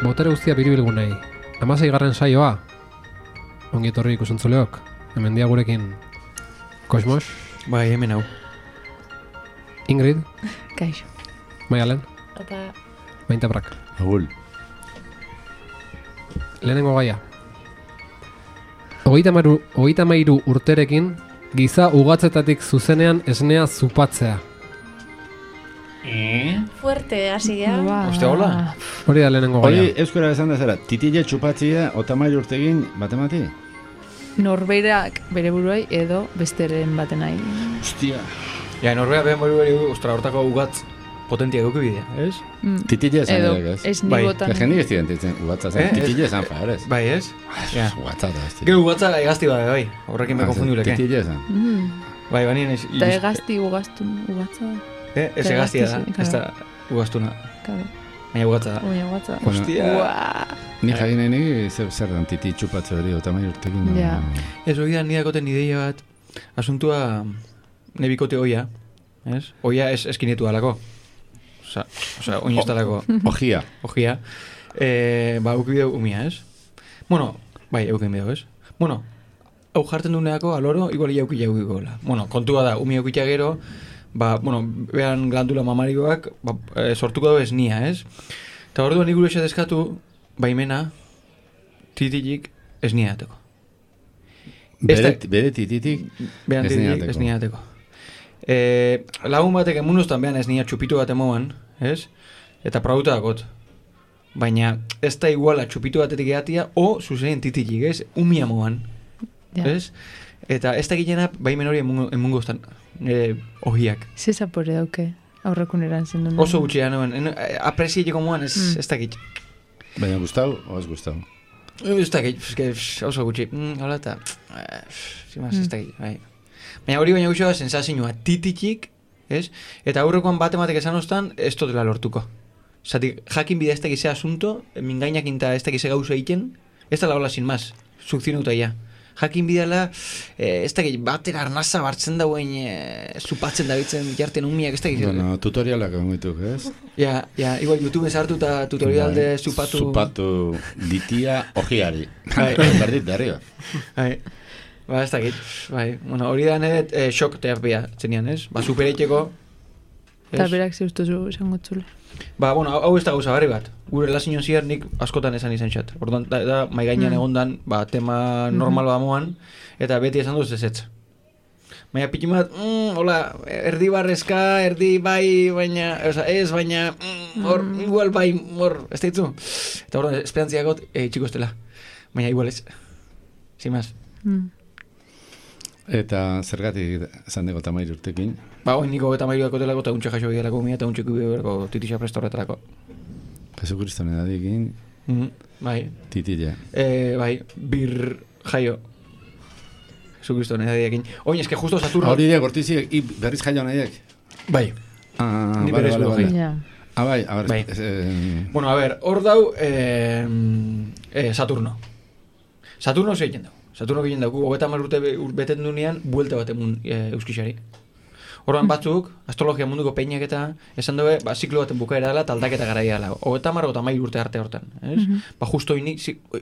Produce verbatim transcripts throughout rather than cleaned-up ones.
botere guztia biribilgunei. Hamasei garren saioa. Ongi etorri ikusuntzuleok. Hemen dia gurekin Kosmos. Bai, hemen hau. Ingrid. Kaixo. Maialen. Opa. Mainta Brak. Agul. Lehenengo gaia. Hogeita mairu, hogeita mairu urterekin giza ugatzetatik zuzenean esnea zupatzea. Eh? Fuerte, hasi gara. Oste, hola? Hori da lehenengo gaia. Hori euskara esan da zera, titile txupatzia otamairu urtegin batemati? Norberak bere buruai edo besteren batenai. Hostia. Ja, norbea behen bori beri, ostra, hortako ugatz potentia duke bidea, ez? Mm. Titile esan Edo, ere, ez? ez Bai. ni botan. Que jendik ez diren ugatza zen, Eh, ez- titile esan fa, ez? Bai, ez? Ja. Ugatza da, ez Gero ugatza egazti bada, bai. Horrekin me konfunduleke. Titile esan. Mm. Bai, banien ez... Eta egazti ugaztun ugatza da. Eh, ez eta egaztia da, egazti, ez da ugaztuna. Kabe. Baina ugatza da. Oina ugatza. Bueno, Hostia. Ua. Ni jakin nahi zer zer dan titi txupatze hori otamairu urtegin. no? Ja. Ez hori da nidakoten ideia bat, asuntua nebikote oia, ez? Oia ez eskinetu alako. Osa, osa, oin ez dalako Ojia. ojia. Eh, ba, eukibideu umia, ez? Bueno, bai, eukibideu, ez? Bueno, hau jartzen duneako aloro, igual jauki jaukikola. Bueno, kontua da, umia eukitea gero, ba, bueno, behan glandula mamarikoak, ba, e, sortuko du esnia, ez? Eta orduan nik gure deskatu, baimena, titilik esnia dateko. Bere, Este- bere tititik Behan titilik esniateko. esnia dateko. E, lagun batek emunuztan behan esnia txupitu bat emoan, ez? Eta prauta dakot. Baina ez da iguala txupitu batetik eatia, o zuzenean titilik, ez? Umia moan, Ja. ez? Eta ez da gilena baimen hori emungo, emungo estan, nire ohiak. Ze zapore dauke aurrekun erantzen duen. Oso gutxia nuen, en- aprezieteko moan ez, Mm. ez dakit. Baina gustau, o ez gustau? Ez dakit, eske, oso gutxi. Mm, hola eta, eh, zimaz, ez Mm. dakit, bai. Baina hori baina gutxoa sensazioa tititik, ez? Eta aurrekoan bat ematek esan ostan, ez dela lortuko. Zati, jakin bidea ez dakizea asunto, mingainak inta ez dakize gauza egiten, ez da la hola sin más, sukzionauta ja. Jakin bidala, eh, ez dakit, batera arnaza bartzen dauen, eh, zupatzen dabitzen jarten umiak, ez dakit. Bueno, tutorialak egon dituk, ez? Ja, ja, igual YouTube sartu eta tutorial de Bai. zupatu. Zupatu ditia ojiari. Bai. Berdit da, arriba. Bai. Ba, ez dakit. Bai. Bueno, hori da nire eh, shock terapia zenian, ez? Ba, supereiteko. Eta ez? berak zeustuzu esango txule. Ba, bueno, hau hau ez da gauza barri bat. Gure relazio zier nik askotan esan izan xat. Orduan, da, da mai gainean Mm. egondan, ba, tema normal bamoan, eta beti esan duz ezetz. Baina piti bat, mm, hola, erdi barrezka, erdi bai, baina, oza, ez, baina, mm, hor, Mm. igual bai, hor, ez daitzu. Eta orduan, esperantziakot, eh, txiko estela. Baina igual ez. Sin más. Mm. Eta zergatik esan dugu otamairu urtekin. Ba, oin niko eta mairu dakotelako eta untxe jaso bidelako mia eta untxe kubidelako titisa prestorretarako. Jesu Kristo nedadikin, Mm, bai. titile. E, bai, bir jaio. Jesu Kristo nedadiekin. Oin, eske justo Saturno... Hori de gortiziek, i berriz jaio nahiek. Bai. Ah, Ni vale, berriz vale, lo vale. jaio. Ja. Ah, bai, a ver, Bai. eh, Bueno, a ver, hor dau eh, eh, Saturno. Saturno zeiten dau. Saturno egiten dauku, hogeta mar urte be- ur- beten dunean, buelta bat emun e, euskixari. Horban batzuk, astrologia munduko peinak eta esan dugu, ba, ziklo baten bukaera dela, taldaketa garaia dela. Hogeta mar, hogeta mail urte arte hortan, ez? Mhm. Ba, justo hori,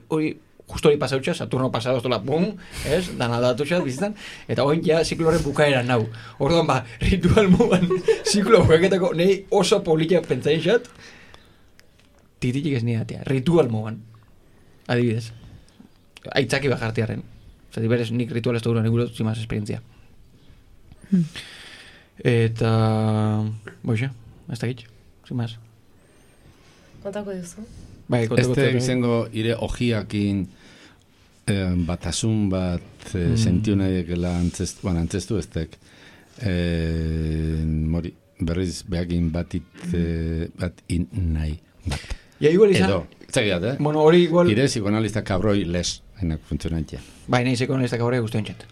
hori, justo hori pasautxa, Saturno pasado estola, bum, ez? Dan aldatu xat, bizitan, eta hori ja ziklo horren bukaera nau. Orduan, ba, ritual mugan, ziklo bukaketako, nahi oso politia pentsain xat, tititik ez nidatea, ritual mugan. Adibidez. Aitzaki bajartiarren. Zati berez, nik ritual ez da duran eguro zimaz esperientzia. Hmm. Eta... Boixe, ez da gitx, zimaz. Kontako duzu? Bai, konteko este zure- izango ire ojiakin eh, batasun bat eh, Mm. sentiu nahiekela antzestu, bueno, antzestu eztek. Eh, mori, berriz behakin batit, eh, bat in nahi. Bat. Ja, igual izan... Edo, zagiat, eh? Bueno, hori igual... Ire psikoanalista kabroi les, enak funtzionantia. Bai, nahi zeko nahiztak aurre guztien txat.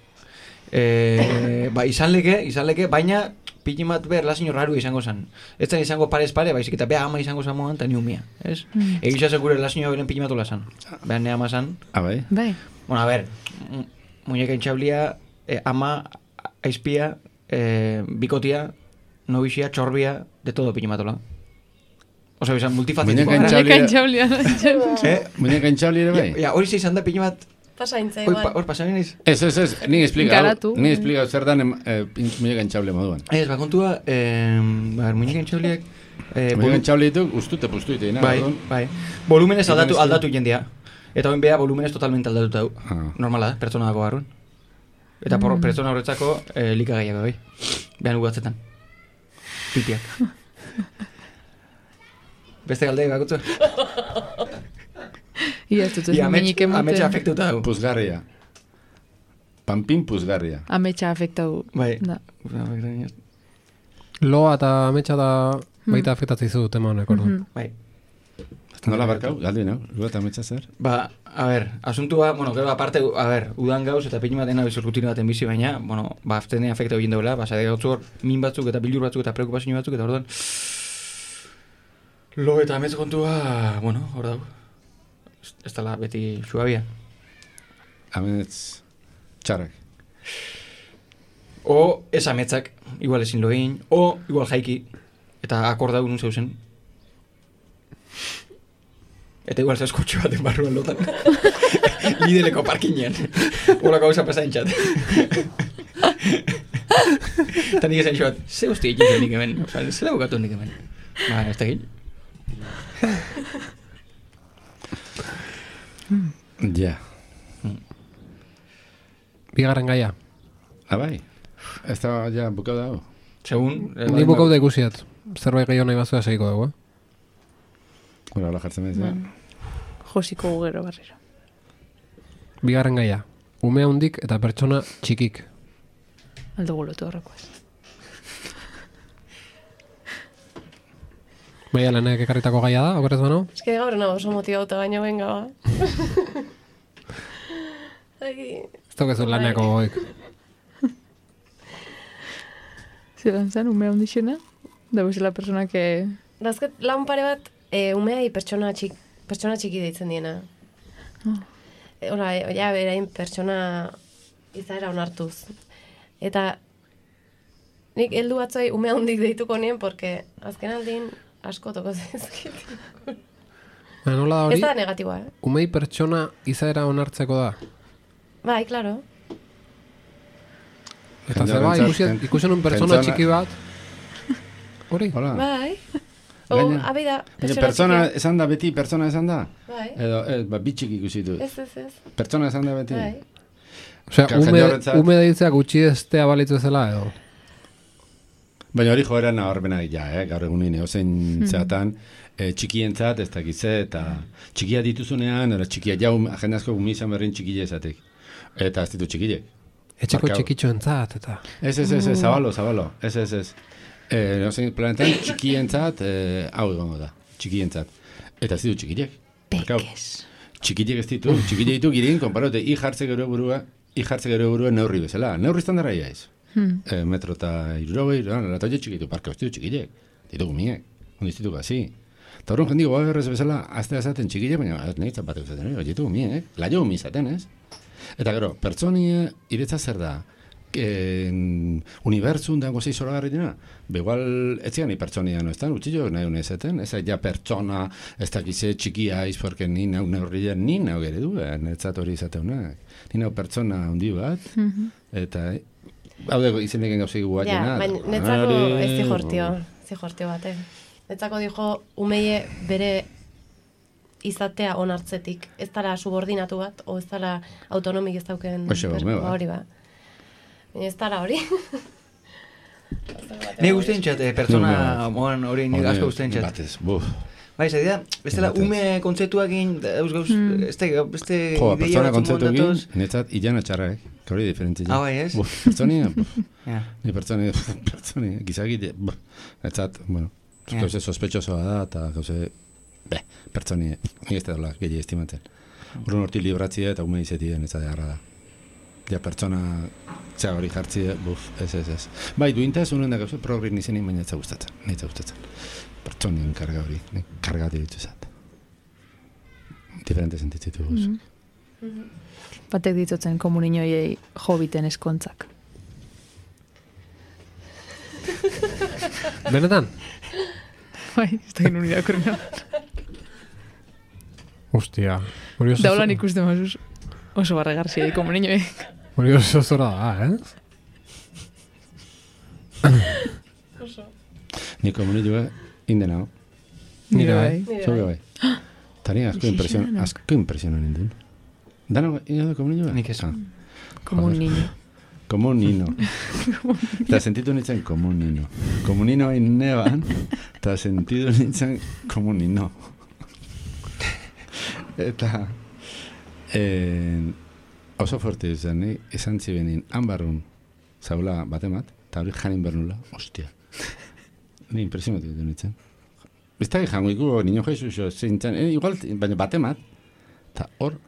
E, ba, izan leke, izan leke, baina pikin bat behar lazio raru izango zen. Ez zen izango parez pare, baizik eta beha ama izango zen moan, eta ni umia, ez? Mm. Egisa zen gure lazio beren pikin bat olazan. Behan ne ama zen. Ah, bai? Bai. Bueno, a ver, mu- muñeka intxablia, eh, ama, aizpia, eh, bikotia, nobixia, txorbia, de todo pikin bat ola. Osa, bizan, multifacetiko. Muñeca Muñeca intxaulia. Eh? Muñeca intxauli ere bai? Ja, hori zeizan da pila bat. Pasaintza Hor igual. pa, pasan naiz. Ez, ez, ez, ni esplikau, Garatu. ni esplikau zer dan eh, muñeca intxauli moduan. Ez, ba, kontua, eh, ba, muñeca intxauliak... Eh, Muñeca intxauli dituk, ustute puztu iteina. bai, bai. Volumenez aldatu, aldatu jendia. Eta hoin beha, volumenez totalmente aldatuta du. Ah. Normala da, pertsona dago barrun. Eta por, pertsona horretzako eh, likagaiak bai. Behan ugatzetan. Pipiak. Beste galdei bakutzu? Ia, ez dut ez Ia, amets, minik emoten. ametsa afektuta dugu. Puzgarria. Pampin puzgarria. Ametsa afektau. Bai. Da. Loa eta ametsa da baita afektatzen zu tema honek, orduan. Mhm. Bai. Nola barkau, galdu nau, lu eta ametsa zer? Ba, a ber, asuntua, bueno, gero aparte, a ber, udan gauz eta pili baten abizu rutina baten bizi, baina, bueno, ba, aftene afekta egin daula, ba, zade gautzu hor, min batzuk eta bilur batzuk eta preokupazio batzuk, eta orduan, lo eta ametz kontua, bueno, hor dago. Ez- Ez dala beti suabia. Amets txarrak. O, ez ametzak, igual ezin lo egin, o, igual jaiki, eta akorda nun zeuzen. Eta igual zeu kotxe baten barruan lotan. Lideleko parkinean. Ola gauza pasain txat. Eta nik esan xoat, ze hostia egin zen nik hemen. Osa, zela bukatu nik hemen. Ba, ez da egin. Ja. Bigarren gaia. Abai, ez da ja bukau dago. Segun... eh, Ni bukau da ikusiat. Zerbait gehiago nahi bazua segiko dugu, eh? Hora, hola jartzen bez, ja. Josiko gugero barriro. Bigarren gaia. Ume handik eta pertsona txikik. Aldo golotu horreko ez. Baina lehenek ekarritako gaia da, okerrez bano? Ez que gaur nago oso motibauta baina benga ba. Ai, Ez daukezu laneako goik. Zeran zen, ume handixena? Da bezala persona que... dazket lan pare bat e, umeai pertsona, txik, pertsona txiki deitzen diena. E, Hora, e, ja, berain pertsona izaera onartuz. Eta nik heldu batzoi ume handik deituko nien, porque azken aldin asko toko zizkit. Baina nola da Ez hori? da negatiboa, eh? Umei pertsona izaera onartzeko da. Bai, claro. Eta Jende zeba, horrentzat, ikusi, pen- ikusi nun pertsona pentsona- txiki bat. Hori? Hola. Bai. O, Gaina- abida, Baina pertsona pertsona txikia. esan da beti, pertsona esan da? Bai. Edo, ez, ba, bitxik ikusi dut. Ez, ez, ez. Pertsona esan da beti? Bai. Osea, Claro, ume, jende horrentzat- ume deitzea gutxi estea balitzu zela edo. Baina hori joera nabarmena ja, eh? Gaur egunin, ozein zeatan, e, txikientzat, ez dakize, eta txikia dituzunean, era txikia jau, jende asko gumi izan berrin txikile esatek. Eta ez ditu txikilek. Etxeko Barkau. txikitxoentzat, eta... Ez, ez, ez, ez, zabalo, zabalo. Ez, ez, ez. E, ozein planetan txikientzat, e, hau egongo da, txikientzat. Eta ez ditu txikilek. Barkau. Pekes. Txikilek ez ditu, txikile ditu girin, konparote, i jartze gero burua, i jartze gero burua neurri bezala. Neurri estandara iaiz. Hmm. E, metro eta irurogei, eta hori txikitu, parka, ez ditu txikilek. Ditu gumiek, ondiz ditu gazi. Eta horren jendik, goa berrez bezala, azte azaten txikilek, baina ez nahi zapatu izaten, hori ditu gumiek, laio gumi izaten, ez? Eta gero, pertsonia iretza zer da, eh, unibertsun dago zei zoragarri dina, begual etzian ni pertsonia no estan, utxillo nahi unezaten, ez ja pertsona, ez dakize txikia iz, porque ni nau neurrian, ni nau gere duen, etzat hori izateunak. Ni nau pertsona handi bat, eta hau dago izeneken gauzei guak Ja, jena. baina netzako ez zihortio, zihortio bate. Netzako dijo umeie bere izatea onartzetik, ez dara subordinatu bat, o ez dara autonomik ez dauken Hoxe, per- ume bat. hori ba. Baina ez dara hori. Ni guztien txat, eh, pertsona, moan hori ni asko guztien txat. Batez, buf. Bai, zai da, ez dela Batez. ume kontzeptuak egin, dauz gauz, ez da, beste Jo, ideia pertsona batzuk kontzeptu egin, mondatuz. netzat ilana txarrak, que hori diferentzia. Ah, bai, ez? Buf, pertsonia, buf. Ja. Ni pertsoni, pertsoni, gizagite, buf. Etzat, bueno, Ja. gauze sospetxosoa da, eta gauze, beh, pertsoni, nik ez da dola, gehi estimatzen. Urrun horti libratzia eta ume izetien, ez da garra da. Ja, pertsona, zea hori jartzia, buf, ez, ez, ez. Bai, duintaz, unen da gauze, progrik nizenin, baina ez da gustatzen, nahi ez da gustatzen. Pertsonien karga hori, nik karga ditu zat. Diferente sentitzitu guz. Batek ditutzen komuninoiei jobiten eskontzak. Benetan? Bai, ez da genuen irakurrena. Hostia. Hori oso... Daulan ikusten mazuz oso barregarria, como niñoek. Hori oso zora da, eh? Ni komunidua indenao. Nire bai. Nire Zure bai. bai. Tani asko impresion, asko impresionan nindun. Dano, ino da komunidua? Nik ez. Como un niño. Como un nino. Eta sentitu nintzen como un nino. Como un nino hain neban, eta sentitu nintzen como un nino. Eta eh, oso forte izan, ni esan zibenin hanbarrun zaula batemat, eta hori janin bernula, ostia. Ni impresionatu ditu nintzen. Biztagi jango iku, niño Jesus, zintzen, eh, igual, baina batemat, eta hor,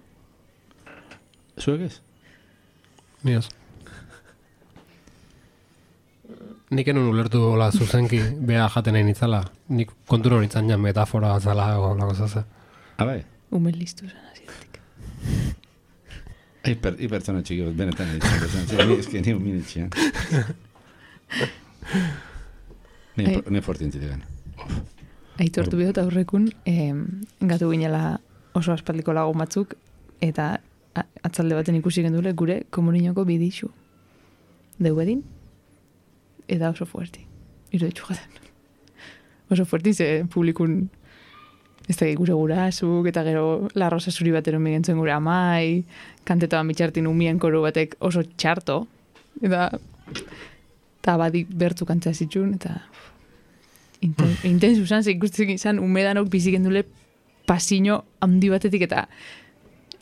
zuek ez? Ni ez. Nik enun ulertu hola zuzenki beha jaten egin itzala. Nik konturo nintzen jan metafora zala o la cosa ze. Abai, Ume listu zen azietik. hiper, hipertona txiki bat, benetan egiten. Ni eski ni uminitxean. Ni, Ai. ni fortintzitik gana. Aitortu bihot aurrekun, eh, gatu ginela oso aspaldiko lagun batzuk, eta a- atzalde baten ikusi gendule gure komuninoko bidixu. Deubedin, eta oso fuerti. Iro ditxu jaten. Oso fuerti, ze publikun ez da gure gurasuk, eta gero la rosa zuri batero migentzuen gure amai, kantetoan bitxartin umien koru batek oso txarto, eta eta badik bertu kantzea zitxun, eta inten, intensu zan, ze ikusten izan umedanok biziken dule pasino handi batetik, eta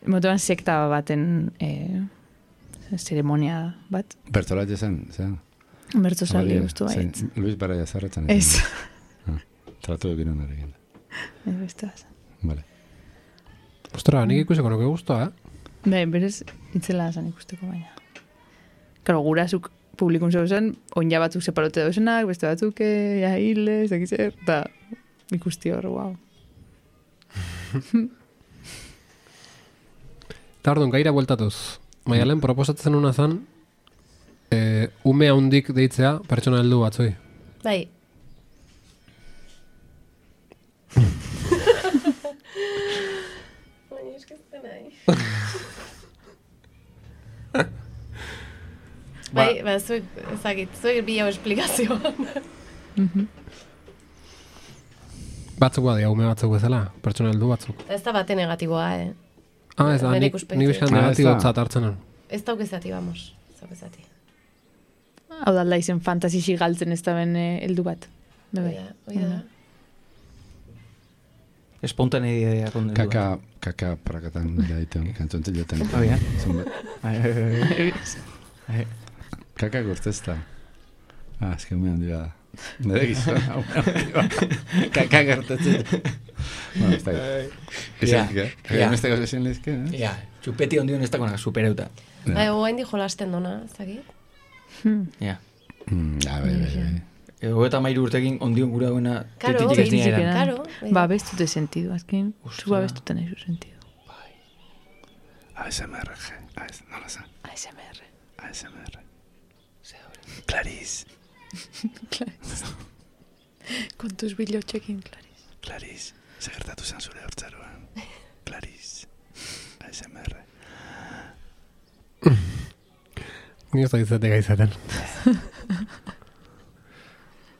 motoan sekta baten eh, zeremonia bat. Bertolat esan, zera? Bertzo saldi guztu Zein, baietz. Luis Baraya zarretzen. Ez. Tratu egin honarekin. Ez beste bat. Vale. Ostra, nik ikusiko nuke guztua, eh? Bai, berez itzela zan ikusteko baina. Karo, gurasuk publikun zeu zen, onja batzuk separote dauzenak, beste batzuk eh, ja hile, ez dakiz zer, eta ikusti hor, guau. Eta orduan, gaira bueltatuz. Maialen proposatzen una zan, eh, ume haundik deitzea pertsona heldu batzoi. Bai. Baina eskazten nahi. Bai, ba, zuek, ezagit, zuek bi hau esplikazioan. Batzuk badia, ume batzuk bezala, pertsona heldu batzuk. Ez da bate negatiboa, eh? Ah, ez da, Nire nik, ikuspegitik. nik bizkan Ah, ez da. negatibotzat hartzen hon. Ez daukezati, vamos. Ez daukezati. Hau da alda izen fantasisi galtzen ez da ben eh, heldu bat. Bai, Oida, oida. Espontaneidea kondendu. Kaka, kaka prakatan da ditu, kantzontzen joten. Ah, bien. Zunbe- Kaka gurtezta. Ah, ez que ume handi bada. Nere gizona, ume handi bada. Kaka gurtetzen. Bueno, ez da gizona. Izan, Ja, eh? ja. Beste gauza ezin lehizke, eh? Ja, txupeti ondion ez dagoena supereuta. Bai, oain di jolasten dona, ez dakit? Ja. Mm, ja, bai, bai, bai. Ego eta mairu urtekin ondion gura duena Karo, tetik ez iritsi dira gara. Karo, bai. Ba, bestute sentidu, azken, Ostra. zu ba bestute nahi zu sentidu. A S M R, je. A S- nola zan? A S M R. A S M R. Clarice, Kontuz bilotxekin, Clarice. Clarice. Zer gertatu zen zure hortzaruan. Clarice. A S M R. Ni ez da izatek izaten.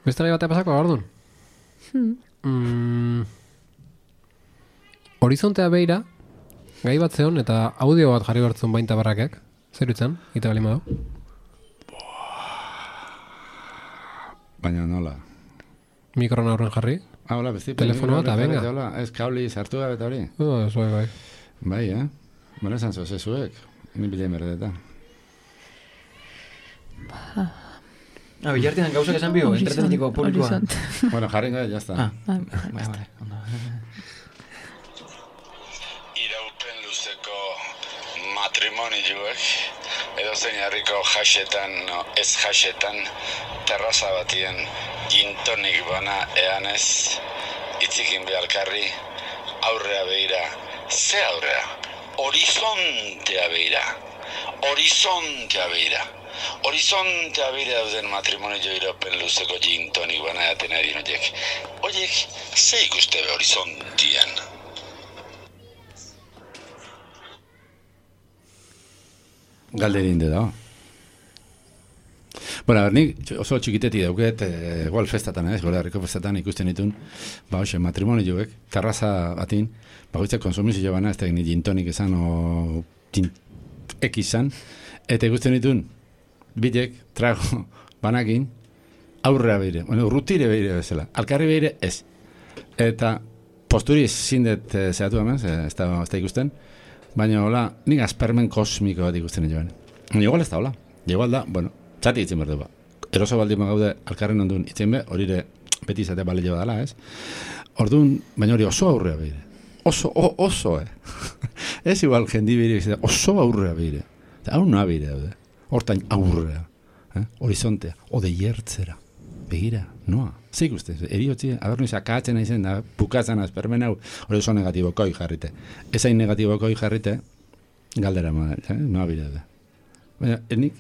Beste gai batea pasako, orduan? Mm, horizontea beira, gai bat zeon eta audio bat jarri bertzun bainta barrakek. Zer utzan, ita bali madu? Baina nola? Mikron aurren jarri? Ah, hola, besti. Telefonoa eta venga. Hola, ez kauli sartu gabe eta hori. Oh, zuek bai. Bai, eh? Bona esan zoze zuek. Ni bilen berdeta. Ah, bilartian gauzak esan bio, entreteniko publikoa. Horizont. Bueno, jarri gabe, jazta. Ah, Ah, bai, bai, ondo. Iraupen luzeko matrimonioek edozein herriko jasetan, no, ez jasetan, terraza batien gintonik bana eanez, itzikin behalkarri, aurrea beira, ze aurrea? Horizontea beira, horizontea beira. Horizontea bire dauden matrimonio iropen luzeko gin tonik bana jaten ari noiek. Oiek, ze ikuste be horizontian? Galderin de da. Bueno, a ber, nik oso txikiteti dauket, e, igual festatan, ez, gora herriko festatan ikusten ditun, ba, hoxe, matrimonioek, terraza batin, bagoitzak konsumizio bana, ez da ni gintonik esan, o gin X izan, eta ikusten ditun, bitek, trago, banakin, aurrea beire, bueno, rutire beire bezala, alkarri beire ez. Eta posturi zindet e, zehatu hemen, ez da, ez da ikusten, baina, hola, nik aspermen kosmiko bat ikusten joan. Igual ez da, hola, igual da, bueno, txati itzen behar du ba. Eroso baldin gaude alkarren ondun itzen be, horire beti izatea bale jo dala, ez? Orduan, baina hori oso aurrea behire. Oso, o, oso, eh? Ez igual jendi behire, oso aurrea behire. Hau noa behire daude. Hortain aurrea. Eh? Horizontea. Ode jertzera. Begira, noa. Zeik uste, eriotzi, abernu izakatzen aizen da, bukatzen azpermen hau, hori oso negatibokoi jarrite. Ezain negatibokoi jarrite, galdera ma, eh? Noa behire daude. Baina, nik,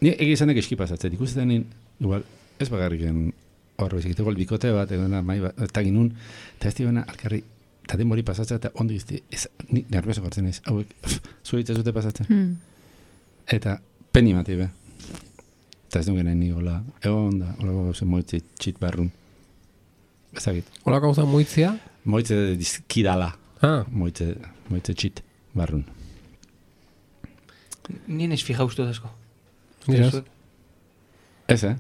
ni egizanek eski pasatzen, ikusten nien, igual, ez bagarriken horro izakite, igual bikote bat, egon mai bat, eta ginun, eta ez dibena, alkarri, eta denbori pasatzen, eta ondo izti, ez, ni nervioso gartzen ez, hauek, zuhitza zute pasatzen. Mm. Eta, peni mati be. Eta ez duen ni hola, egon da, hola gauzen moitze txit barrun. Ezagit. Hola gauza moitzia? Moitze dizkidala. Ah. Moitze, moitze txit barrun. Nien ez fija uste dazko. Ez. Ez, eh?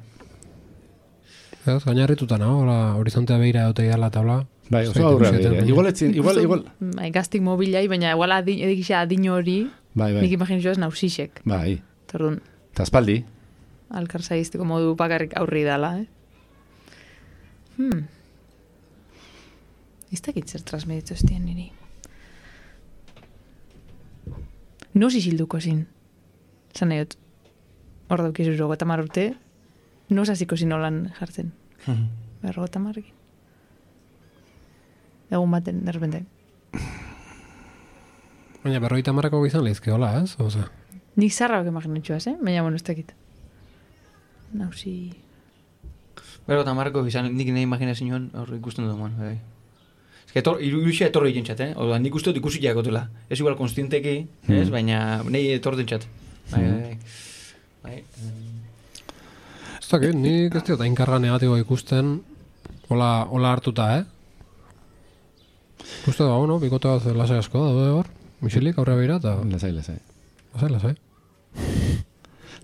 Ez, gainarrituta nago, hola, horizontea behira egote idala tabla. Bai, oso aurrea behira. Igual etzin, igual, igual. Bai, gaztik mobilai, baina igual adin, edikisa adin hori, bai, bai. nik imaginizio ez nausisek. Bai. Tordun. Eta espaldi. Alkar zaizteko modu bakarrik aurri dala, eh? Hmm. Iztakit zer transmeditu estien niri. Nos isilduko zin. Zan nahiot, hor daukizu rogota marrute, nos hasiko zin holan jartzen. Behar rogota marrekin. Egun baten, derrepente. Baina berroita marrako izan lehizke, hola, ez? Oza. Nik zarra bak imaginatxoaz, eh? Baina, bueno, ez dakit. Nausi... Bero, eta marrako izan, nik nahi imaginazioan hor ikusten dut, man, bai. Ez que irusia etorri egin txat, eh? Oda, nik uste dut ikusi jakotela. Ez igual konstienteki, ez? Baina, nahi etorri txat. Bai, bai, bai. Ez dakit, nik ez diot ainkarga negatiboa ikusten, hola, hola hartuta, eh? Ikuste da, no? Bikote bat lasai asko, daude hor, Mixilik aurre behira, eta... Lasai, lasai. Lasai, lasai.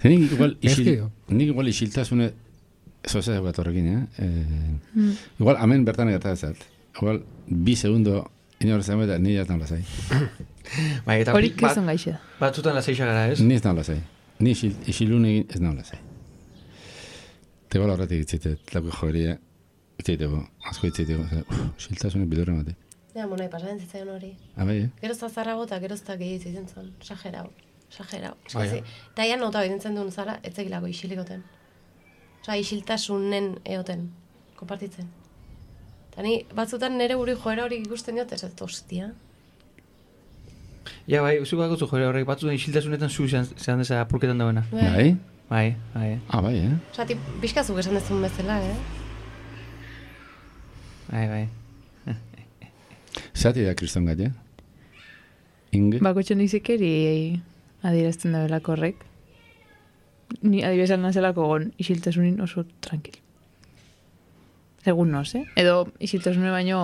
Nik igual, isil, nik igual isiltasune, eso ez bat horrekin, eh? eh mm. Igual, amen bertan egertatzen zat. Igual, bi segundo, inor zen eta ni jatan lasai. Bai, eta hori kizan gaixe da. Batzutan lasaixa gara, ez? Ni ez nahi lasai. Ni isil, isilun egin ez nahi lasai. Tego la horretik itzitet, lako jogeria, itziteko, asko itziteko, isiltasune bidurre mate. Ja, monai, pasaren zitzaion hori. Abai, eh? Gerozta zarrago eta gerozta gehiago zitzen zuen. Sajerau, sajerau. Ah, ja. Eta ian nota bidentzen duen zara, etzekilako isilikoten. Osa, isiltasunen eoten, kompartitzen. Eta ni, batzutan nire guri joera hori ikusten diot, ez dut, ostia. Ja, bai, zu bakotzu joera horrek, batzutan isiltasunetan zu zehan deza apurketan dauena. Bai? Bai, bai. Ah, bai, eh? Osa, ti, bizkazuk esan dezun bezala, eh? Bai, bai. Zati da kriston gai, eh? Inge? Bakotxo nizekeri adierazten da belako horrek. Ni adibizan nazelako gon isiltasunin oso tranquil. Segun noz, eh? Edo isiltasune baino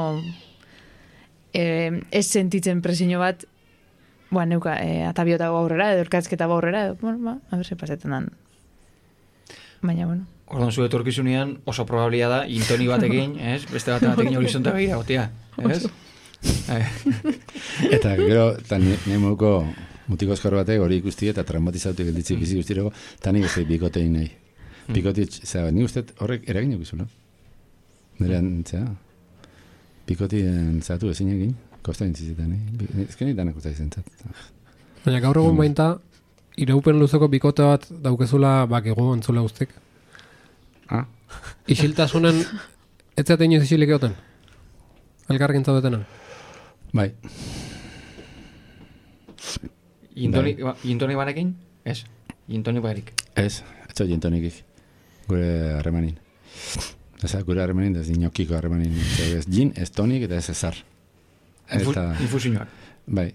eh, ez sentitzen presiño bat Boa, neuka, eh, atabiotago aurrera, edo erkatzketa aurrera, edo, bueno, ba, a ber, se pasetan dan. Baina, bueno. Ordan zu etorkizunean oso probablia da, intoni batekin, ez? Beste bate batekin horizonte begira, gotia, ez? Eta, gero, eta nemuko mutiko eskor batek hori ikusti eta traumatizautik gelditzik bizi guztireko, eta nik ez da bikotein nahi. Bikotit, zera, nik uste horrek eragin egizu, no? Nerean, zera, bikotien zatu ezin egin. Kosta intzizitan, eh? Ez que danak kosta izentzat. Baina gaur egun bainta, iraupen luzeko bikote bat daukezula bakego entzule guztik. Ah? Isiltasunen, ez zaten inoiz isilik egoten? Elkarrekin zaudetena? Bai. Intoni, intoni barekin? Ez. Intoni barik. Ez, etxo jintonikik. Gure harremanin. Eza, gure harremanin, ez dinokiko harremanin. Ez gin, ez tonik, eta ez ezar. Eta, Infusioak. bai.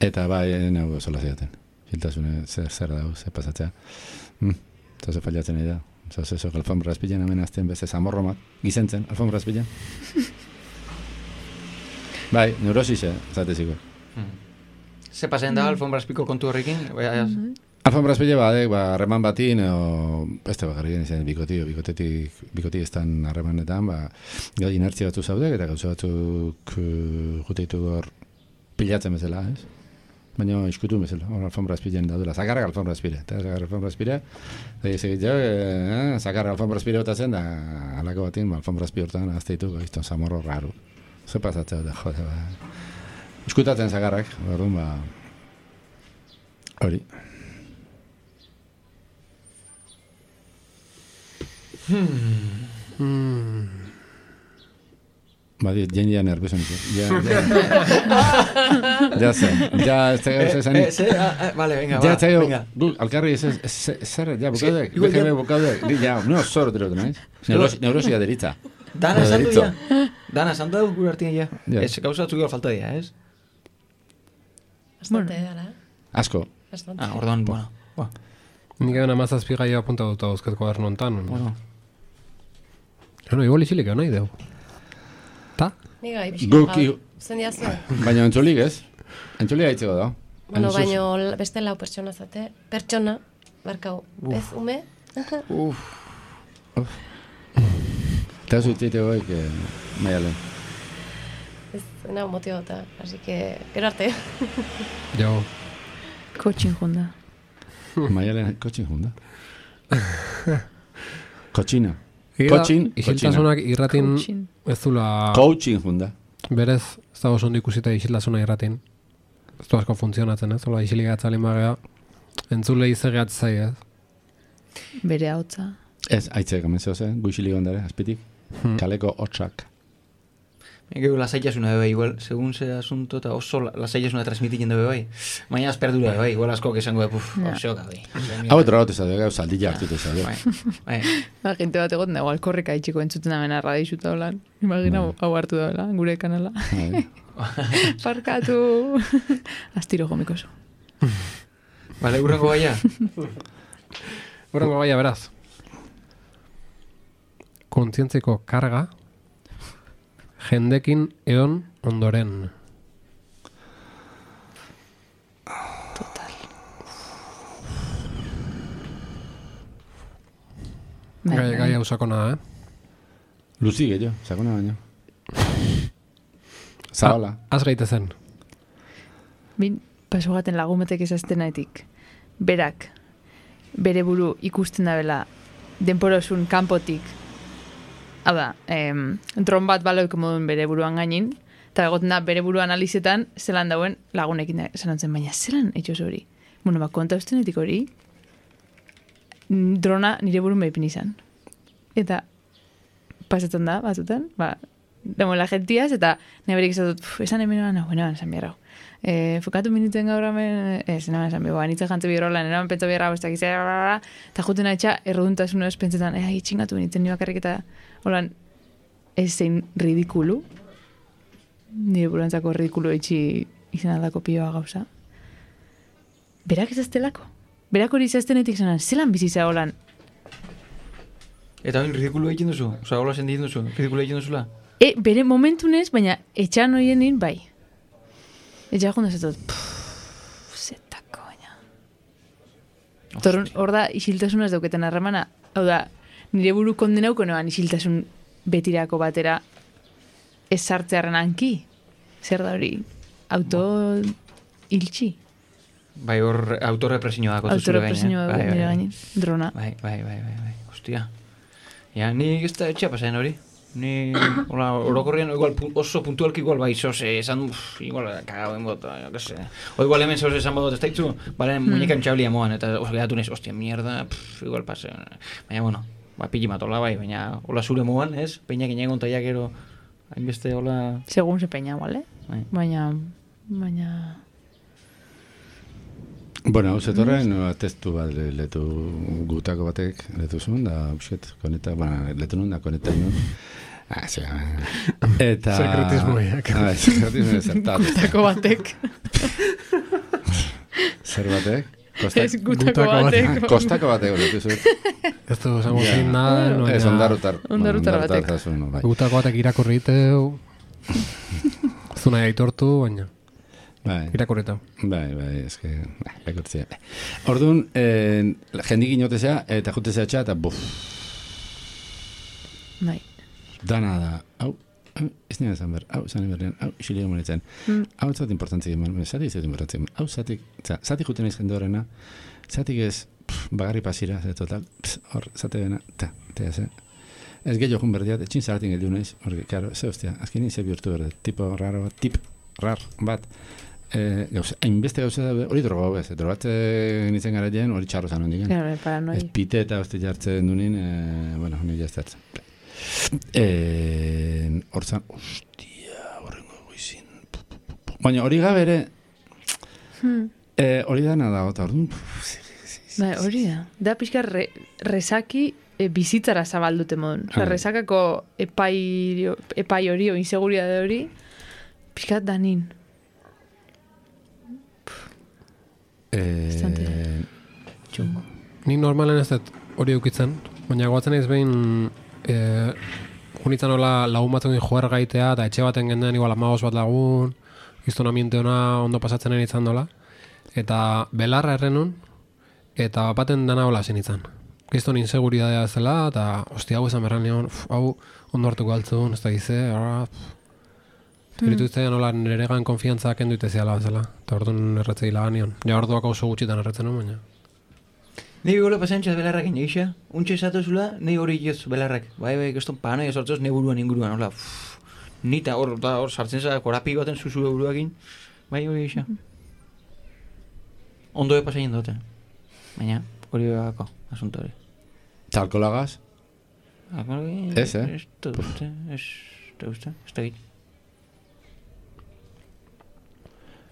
Eta bai, nago sola zidaten. Filtasune, zer, zer dago, zer pasatzea. Mm, eta ze fallatzen nahi da. Zaz, eso, alfombra azpilen hemen azten beste zamorromak. Gizentzen, alfombra azpilen. Bai, neurosise, zateziko. Ze pasen da alfombra azpiko kontu horrekin? Bai, Alfombra azpile badek, ba, harreman batin, o, beste bakarrik izan, bikoti, bikotetik, bikoti estan harremanetan, ba, gai inertzia batzu zaudek, eta gauza batzuk uh, juteitu hor pilatzen bezala, ez? Baina iskutu bezala, hor alfombra azpilen daudela, zakarrak alfombra azpire, eta zakarrak alfombra azpire, eta izegit jo, eh, zakarrak alfombra azpire botatzen, da, alako batin, ba, alfombra azpire hortan, azteitu, gaizton, zamorro raro. Ze pasatzea, da, jode, ba. Iskutatzen zakarrak, orduan, ba, hori. Hmm. Badi, jendea nervioso nizu. Ja, ja. Ja ze, ja, ez da gauza esan. Eh, ze, ah, ah, vale, venga, Ja, va, zaio, venga. gu, alkarri ez, zer, ja, bukaudek, igual B G B ja- bukaudek, di, ja, no, zor dut, naiz? Neurosi- Neurosia deritza. Dana esan du Deritzo. ja. Dana esan du gure artean ja. Ja. Ez, gauza batzuk igual falta dira, ez? Bastante, gara. Asko. Bastante. Ah, orduan, bueno. Ba, Nik egin amazazpi gaia apunta dut dauzket kuaderno hontan. bueno. Bueno, igual isilik egon nahi deu. Ta? Ni gai, pixka. Guk, gaur. i- Zen diazu? Baina entzulik ez? Entzulik haitzeko da. Bueno, Hain zuz- baino la- beste lau pertsona zate. Pertsona, barkau. Ez, ume? Eta zuitzeite goik, eh, maialen. Ez, nau motibota. Así que, gero arte. Jo. Kotxin junda. Maialen, kotxin junda. Kotxina. Egia da, Kotxin, isiltasunak irratin Kotxin. ez dula... Coaching junda. Berez, ez da oso ondo ikusita isiltasuna irratin. Ez du asko funtzionatzen, ez? Ola, isilik atzalin bagea, entzule izegeat zai, ez? Bere hautza. Ez, aitzek, amenzio zen, guixili gondare, azpitik. Kaleko hotxak. Gero lasaitasuna bebe, igual, segun ze asunto, eta oso la- lasaitasuna transmititzen bebe bai. Baina azperdura bebe, bai, igual askok esango bebe, puf, Ja. osoka bai. Hau etra bat ezadeo, gau saldilla hartutu ezadeo. Bai, bai. Ba, gente bat egoten dago, alkorreka itxiko entzuten amena radixuta holan. Imagina, hau hartu dagoela, gure kanala. Parkatu. Astiro jomikoso. Bale, urrengo gaia. Horrengo gaia beraz. Kontzientziko karga, jendekin eon ondoren. Gai, gai hau sakona da, eh? Luzi gehiago, sakona baino. Zabala. Ah, Az gaitezen. Bin, pasogaten lagumetek esaztenaetik. Berak, bere buru ikusten dabela denporosun kanpotik. Hau da, em, dron bat baloik moduen bere buruan gainin, eta egoten da bere buru analizetan zelan dauen lagunekin da, zelan zen, baina zelan etxoz hori. Bueno, ba, konta ustenetik hori, drona nire burun behipin izan. Eta pasatzen da, batzutan, ba, demoela gentiaz, eta neberik izatut, esan hemen eman, bueno, esan behar hau. E, fokatu minuten gaur hemen, ez, naman esan behar, nitza jantze birola, nera pentsa behar hau, ez dakiz, eta juten etxa, erruduntasun ez pentsetan, eh, itxingatu miniten ni bakarrik eta, holan, ez zein ridikulu, nire burantzako ridikulu itxi izan aldako pioa gauza. Berak ez aztelako. Berak hori izaztenetik zanan, zelan bizitza holan, Eta hori ridikulu egiten duzu? Osa, hola sentitzen duzu? Ridikulu egiten duzula? E, bere momentunez, baina etxan horienin bai. Etxan joan dezatot, zetako, baina. Torun, hor da, isiltasunaz dauketen harremana. Hau da, nire buru kondenauko noan isiltasun betirako batera ez sartzearen hanki. Zer da hori, auto iltsi. Bai, hor autorrepresioa dako zuzure gaine. Autorepresioa Bai, nire bai, gainin, drona. Bai, bai, bai, bai, bai, hostia. Ja, ni ez da etxea pasaen hori. Ni, hola, orokorrian igual, pu- oso puntualki igual bai, zoze, esan, uff, igual, kagauen bota, jo, que se. O igual hemen zoze esan bodot ez daitzu, bale, muñekan txablia moan, eta oso gehatu nez, ostia, mierda, pff, igual pase. Baina, bueno, ba, pili matola bai, baina, hola zure moan, ez? Peinak inegon taiak ero, hainbeste, hola... Segun ze peina, bale? Bai. Baina, baina... Bueno, hau zetorren, testu bat le- letu gutako batek letu zuen, da, busket, koneta, bueno, letu nun da, koneta nun. Ah, ze, eta... Sekretismoiak. Ah, sekretismoiak zertat. Gutako batek. Zer batek? Kosta, Ez gutako Gutako batek. ah, kostako batek letu zuen. Ez du zango Ja. zin nada, no, Ez, ondarutar. Ondarutar bueno, batek. zazun, bai. Gutako batek irakurri iteu. Zuna aitortu, baina Bai. irakurri iteu. Bai, bai, eske, bai, irakurtzea. Orduan, eh, jendik inotezea, eta jutezea txa, eta buf, Bai. dana da, hau, hau, ez nire zan ber, hau, zan berrean, hau, xilio monetzen, Mm. hau, zat importantzik eman, zati ez importantzik eman, hau, zatik, za, zatik juten izan horrena, zatik ez, pff, bagarri pasira, ze total, pss, hor, zate bena, ta, ta, ze, ez gehiago jun berdiat, etxin zaratin geldiu naiz, hori, karo, ze hostia, azken nien ze bihurtu berde, tipo raro bat, tip, rar, bat, eh, gauza, hainbeste gauza da, hori droga hau ez, drogatzen nintzen gara jen, hori txarro zan hondik, Claro, paranoi. ez pite eta hosti jartzen dunin, eh, bueno, nire jaztatzen. Eh, Hortzan, ostia, horrengo goizin. Baina hori gabe ere, Hmm. eh, hori dana da, eta orduan, Bai, hori da. Da pixka re, resaki e, bizitzara zabaldute modun. Osa, Ah. resakako epai, epai hori, o inseguritate hori, pixka danin. Bastante. eh, Txungo. Nik normalen ez dut hori eukitzen, baina goatzen naiz behin e, junitzen hola lagun batzukin joer gaitea, eta etxe baten gendean igual amagos bat lagun, izton ambiente ona ondo pasatzen ari izan dola, eta belarra errenun, eta baten dana hola zen izan. Gizton inseguridadea zela, eta hosti hau esan berran nion, uf, hau ondo hartuko altzun, ez da gize, ara, Zeritu iztean hola niregan konfiantza kendu iteziala zela, eta orduan erretzei lagan nion. Ja orduak oso gutxitan erretzen nuen, baina. Nei gola pasantxaz belarrakin egisa, untxe esatu zula, nei hori joz belarrak. Bai, bai, keston panoia sortzoz, nei buruan inguruan, hola, uff, nita hor, da, hor sartzen za, korapi baten zuzu buruakin, bai hori egisa. Ondo de pasaien dute, baina hori begako, asunto hori. eta alkolagaz? Ez, eh? Ez da uste, ez da uste, ez da git.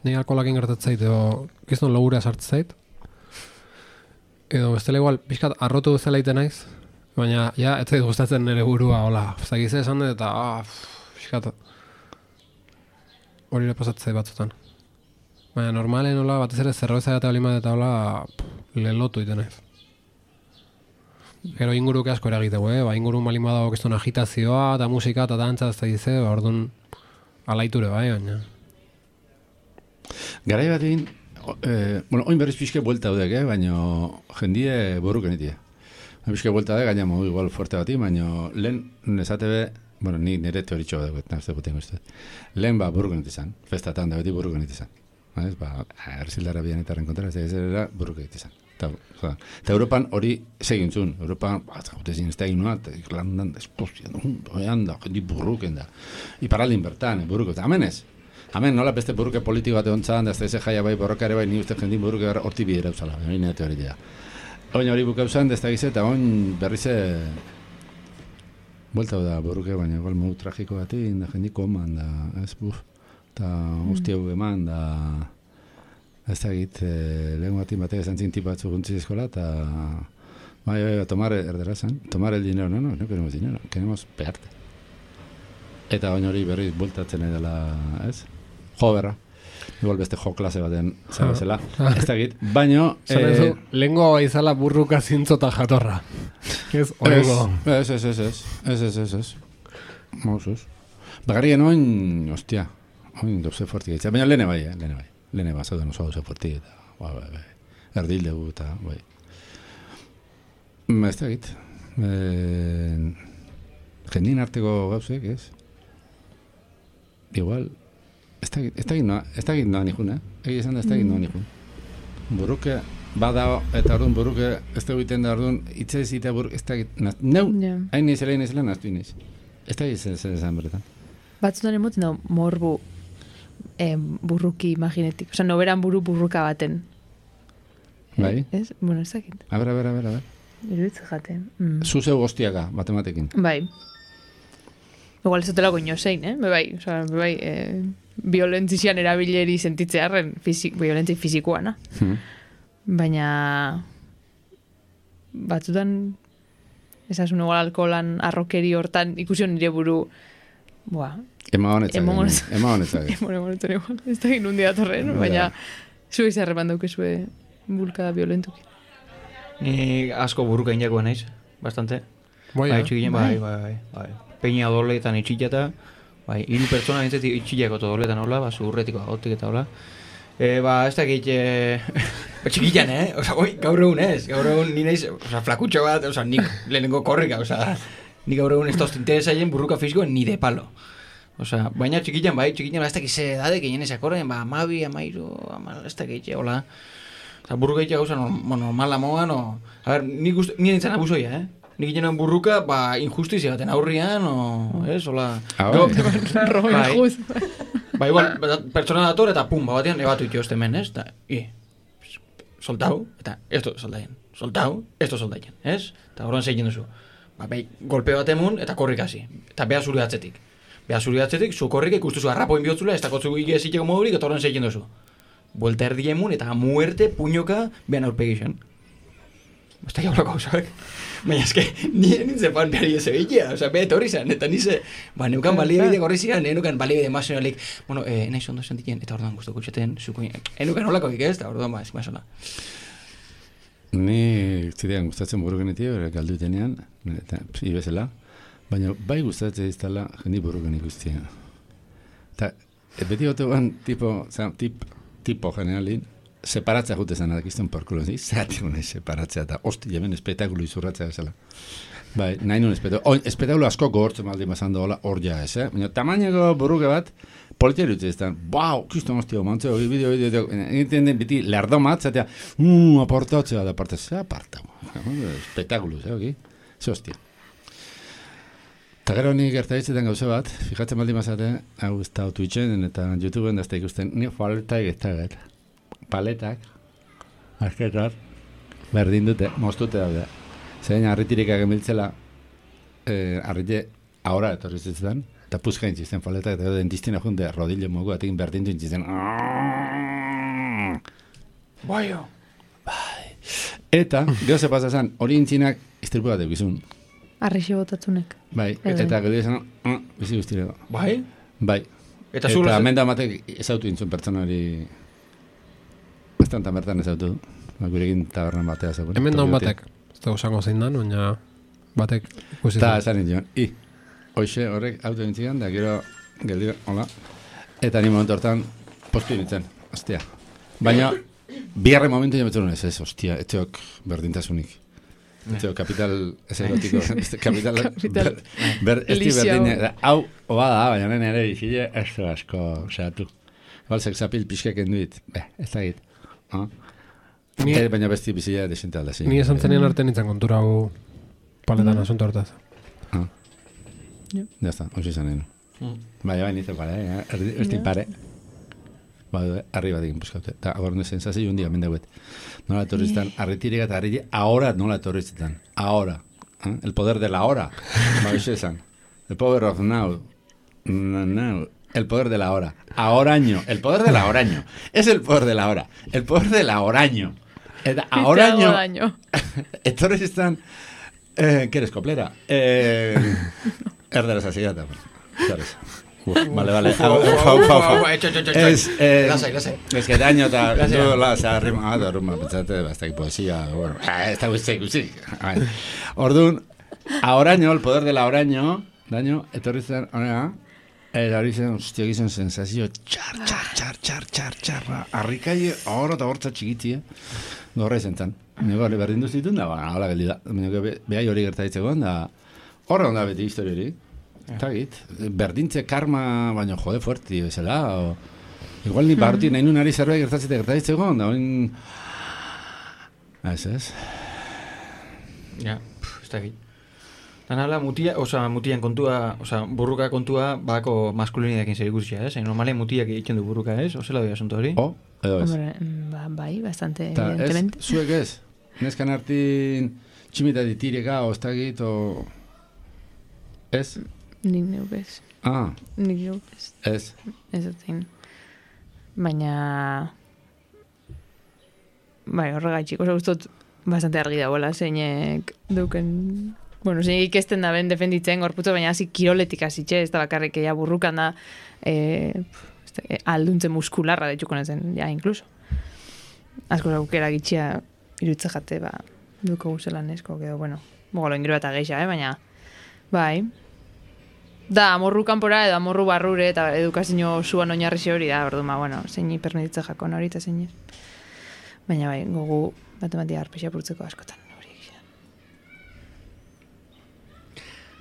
Ni alkoholakin gertatzait, edo gizton logurea sartzen zait. Edo bestela igual, pixkat arrotu duzela iten naiz, baina ja, ez zait gustatzen nire burua, hola, zagize esan dut, eta, ah, pff, pixkat, hori ere pasatzei batzutan. Baina normalen, hola, batez ere zerbeza eta olima eta hola, pff, lelotu iten naiz. Gero inguruke asko eragitegu, eh? Ba, inguru malin badago gizton agitazioa, eta musika, eta dantza, ez da gize, ba, orduan, alaiture bai, baina. Garai batean, eh, bueno, oin berriz pixke buelta haudek, eh, baina jendie borruken itia. Pixke buelta da, gaina modu igual fuerte bati, baina lehen nesate be, bueno, ni nire teoritxo bat dugu, nazte guten guztet. Lehen ba borruken itizan, festatan da beti borruken itizan. Ez, ba, erzildara bian eta renkontra, ez da gizera borruken itizan. Eta, eta Europan hori segintzun, Europan, bat, gautezin ez da inoa, eta Irlandan, esplozia, oean da, jendi burruken da. Iparaldin bertan, burruken, eta hemen ez. Hemen nola beste burruke politiko bat egontzan, da ez da eze jaia bai borrokare bai, ni uste jendin burruke horti bidera uzala, hori nire teoria. Oin hori bukauzan, da ez da gize, eta oin berrize buelta da burruke, baina igual modu tragiko bati, da jendiko oman, da, ez, buf, eta usti hau eman, da, ez da git, eh, lehen batin batek esan zinti batzu guntzi eskola, eta, bai, bai, tomar, erdera zen, tomar el dinero, no, no, no queremos dinero, queremos pegarte. Eta oin hori berriz bueltatzen edela, ez? Jo berra. Igual beste jo klase baten zabezela. Ez da git, baino... Zara eh, ezu, lehengo izala burruka zintzota jatorra. Ez, horrego. Ez, ez, ez, ez, ez, ez, ez, ez. Mausuz. Bagarrien oin, ostia, oin doze fuerti gaitzea. Baina lehene bai, eh, lehene bai. Lehene bat zauden oso doze fuerti eta, bai, bai, bai. Erdil dugu eta, bai. Ez da git. Eh, jendin arteko gauzek, ez? Igual, ez da git, ez da git noa, ez da git noa nijun, eh? Egi esan da ez da git noa nijun. Buruke, badao, eta orduan buruke, ez da egiten da orduan, itse ez ita buruk, ez da git, naz, neu, Ja. hain nizela, hain nizela, naztu iniz. Ez da git zer esan beretan. Batzutan emoten da morbu eh, burruki imaginetik. Osa, noberan buru burruka baten. Bai? Ez? Bueno, ez dakit. A ber, a ber, a ber, a ber. Iruditze jaten. Mm. Zuzeu goztiaka, matematekin. Bai. Igual ez dutela goño zein, eh? Be bai, oza, be bai, eh, violentzian erabileri sentitzearen, fizik, violentzi fizikoana. Hmm. baina batzutan esasun igual alkoholan arrokeri hortan ikusi nire buru boa. Ema honetzak. Ema honetzak. Ema honetzak. Ema honetzak igual. Ez da gin hundia torren, baina zue izarreman daukezue bulkada violentuki. Ni asko buruka inakoa naiz, bastante. Bai, Bai, eh? txikien, bai, bai, bai, bai. Peña doletan itxillata, bai, hiru pertsona nintzeti itxillako doletan hola, ba, zurretiko agotik eta hola. E, ba, ez dakit, e, ba, txikian, eh? Osa, oi, gaur egun ez, gaur egun ni naiz, osa, flakutxo bat, osa, nik lehenengo korrika, osa, nik gaur egun ez tozt interesaien burruka fiziko ni de palo. Osa, baina txikian, bai, txikian, ba, ez dakit ze edade, que jenez akorren, ba, amabi, amairu, amal, ez dakit, hola. Osa, burruka itxea gauza normala moan, o... A ber, nik uste, nire nintzen abusoia, eh? Nik ginen burruka, ba, injustizia baten aurrian, o... Ez, hola... Ah, Go- bai. Rojo Bai. injust. Ba, igual, ba, pertsona dator eta pum, ba, batean ebatu itxoste men, ez? Eta, i, soltau, eta esto soldaien. Soltau, esto soldaien, ez? Eta horren zeitzen duzu. Ba, bai, golpe bat emun, eta korrik hasi. Eta beha zuri atzetik. Beha zuri atzetik, zu korrik ikustuzu arrapoin bihotzula, ez dakotzu ige ziteko modurik, eta horren zeitzen duzu. Buelta erdi emun, eta muerte puñoka behan aurpegixen. Ez da jaulako hausak. Baina eske, nire nintzen fan behar ez egitea, oza, beha etorri zen, eta nize, ba, neukan baliabide gorri zian, neukan baliabide emazionalik, bueno, eh, nahi zondo sentiken, eta orduan guztu kutxeten, zuko, neukan holako ez, eta orduan ba, ez mazola. Ni zidean gustatzen buru genetik, bera galdu tenean, eta ibezela, baina bai gustatzen iztala jendi buru genik guztia. Eta beti gote guan tipo, zera, tip, tipo generalin, separatzea jute zen adakizten porkulo, zi, zerati gune separatzea, eta hosti, hemen espektakulu izurratzea ezela. Bai, nahi nun espektakulu, espektakulu asko gogortzen baldin bazan dola hor ja ez, eh? Baina tamainako buruke bat, politia dut ezten, bau, kiston hostia, mantzeo, bideo, bideo, egiten den biti, lerdo mat, zatea, uh, aportatzea, da parte, ze aparta, espektakulu, ze, oki, ze hostia. Eta gero nik gertaitzetan gauza bat, fijatzen baldin bazate, hau ez da Twitchen eta YouTubeen da ez da ikusten, ni paletak ez da gara. Paletak, azketar, berdin dute, moztute daude. Zein harritirikak emiltzela, eh, harrite ahora etorri zitzen, eta puzka intzizten paletak, eta dentistina junte, rodillo mogu, atekin berdin du intzizten. Baio. Eta, gero ze pasa zen, hori intzinak iztripu bat egizun. Arrixi botatzunek. Bai, Bai. eta gero izan, uh, bizi guztireko. Bai? Bai. Eta Eta zure... menda matek ezautu intzun pertsonari, bastan bertan ezautu, ba, gurekin tabernan batea zegoen. Hemen daun batek, ez da usango zein dan, baina batek ikusi Eta zuen. esan nintzen, i, hoxe horrek auto dintzigan, da gero geldi, hola, eta ni momentu hortan postu nintzen, ostia. Baina, bigarren momentu jametzen ez, ez, ostia, etxeok berdintasunik. Etxeok kapital, ez erotiko, kapital, Kapital. ber, ber, ez di Elizia berdine, da, hau, oba da, baina nene ere izile, ez du asko, osea, Igual sexapil pixkak enduit, beh, ez da git. Ah? Ni- Eh, baina besti bizila desente alda, zi. Ni esan zenien arte nintzen kontura hau paletan asunto hortaz. Ah. Ja. Ya está, hoxe zanen. Mm. Bai, bai, nintzen pare, eh? Erdi, erdi Ja. pare. Ba, arriba digin buskaute. Eta agorne sensazio un dia mendauet. Nola etorriztan, arritirik eta arriti, ahora nola etorriztan. Ahora. ¿Eh? El poder de la hora. Ba, hoxe esan. El power of now. No, no. El poder de la hora. Ahoraño. El poder de la horaño. Es el poder de la hora. El poder de la horaño. Eta ahoraño. Ahoraño. Etorriztan, eh, ¿qué eres, coplera? Eh, erderaz hasi gata. Etorriz. Uf, vale, vale. Hau, hau, hau, hau. Es, eh, Lasai, lasai. es que daño eta Lasai. du la sa rima, ah, da rima, pentsate, basta poesía, bueno, ah, está guzti, guzti. Orduan, ahoraño, el poder del ahoraño, daño, etorrizan, honea, eta hori zen, hostia, gizan sensazio, txar, txar, txar, txar, txar, txar, harrikaie, ahora eta hortza txikitia, gorra izan zan. Nego hori berdin duzitun, da, ba, hola geldi da. Nego behai hori gertaitzegoen, da, horra onda beti histori hori. Eta git, berdintze karma, baina jode fuerti, bezala, o... Igual ni parti nahi nun ari zerbait gertatzete gertaitzegoen, da, oin... Ez, ez. Ja, pff, ez da egin. Dan hala, mutia, oza, mutian kontua, oza, burruka kontua, bako maskulinidakin zer ikusia, ez? Normalen mutiak egiten du burruka, ez? Ozela doi asunto hori? O, edo ez. Hombre, mm, ba, bai, bastante, Ta ez, evidentemente. zuek ez. Neskan hartin tximita ditireka, oztagit, o... Ez? Nik neuk ez. Ah, Nik neuk ez. ez. Ez dut zein. Baina... bai, horregaitxik, oso gustot bastante argi dagoela, zeinek duken, bueno, zeinek ikesten da ben defenditzen gorputzo, baina hasi kiroletik hasitxe, ez da bakarrik ja burrukan da, eh, este, alduntze muskularra detxuko nezen, ja, incluso. Asko aukera gitxia irutze jate, ba, duko guzela nesko, edo, bueno, bogolo ingiro eta geixa, eh, baina, bai, da, amorru kanpora edo amorru barrure eta edukazio zuan oinarrixe hori da, ordu, ma, bueno, zein permititze jakon hori eta zein ez. Baina bai, gogu matematika arpexia purtzeko askotan hori egin.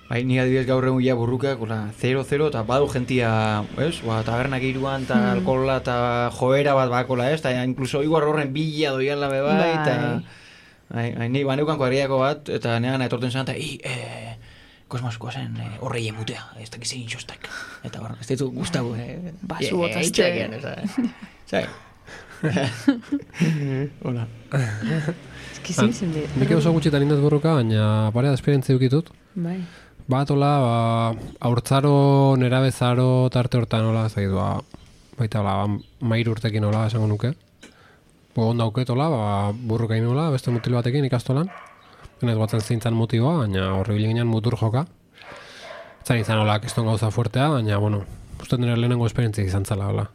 Bai, ni adibidez gaur egun ja burruka, gola, zero, zero, eta badu gentia, ez? Ba, tabernak iruan, eta mm. alkohola, eta joera bat bakola, ez? Eta incluso igual horren bila doiala be bai, eta... Bai, bai, ni baneukan kuadriako bat, eta negan etorten zen, eta, i, eh, kosmosuko zen eh, horrei emutea, ez dakiz egin txostak. Eta hor, ez ditu guztago, eh? Basu botazte. Zai. Hola. Ez ki zin zen dira. Nik oso gutxitan indaz burruka, baina parea da esperientzia dukitut. Bai. Bat, hola, ba, haurtzaro, nerabezaro, tarte hortan, hola, ez dakit, ba, baita, hola, mairu urtekin, hola, esango nuke. Bo, onda auket, hola, ba, burruka inu, hola, beste mutil batekin ikastolan. Benez batzen zintzen motiboa, baina horri bilinean mutur joka. Zan izan, hola, kiston gauza fuertea, baina, bueno, uste nire lehenengo esperientzia izan zala, hola.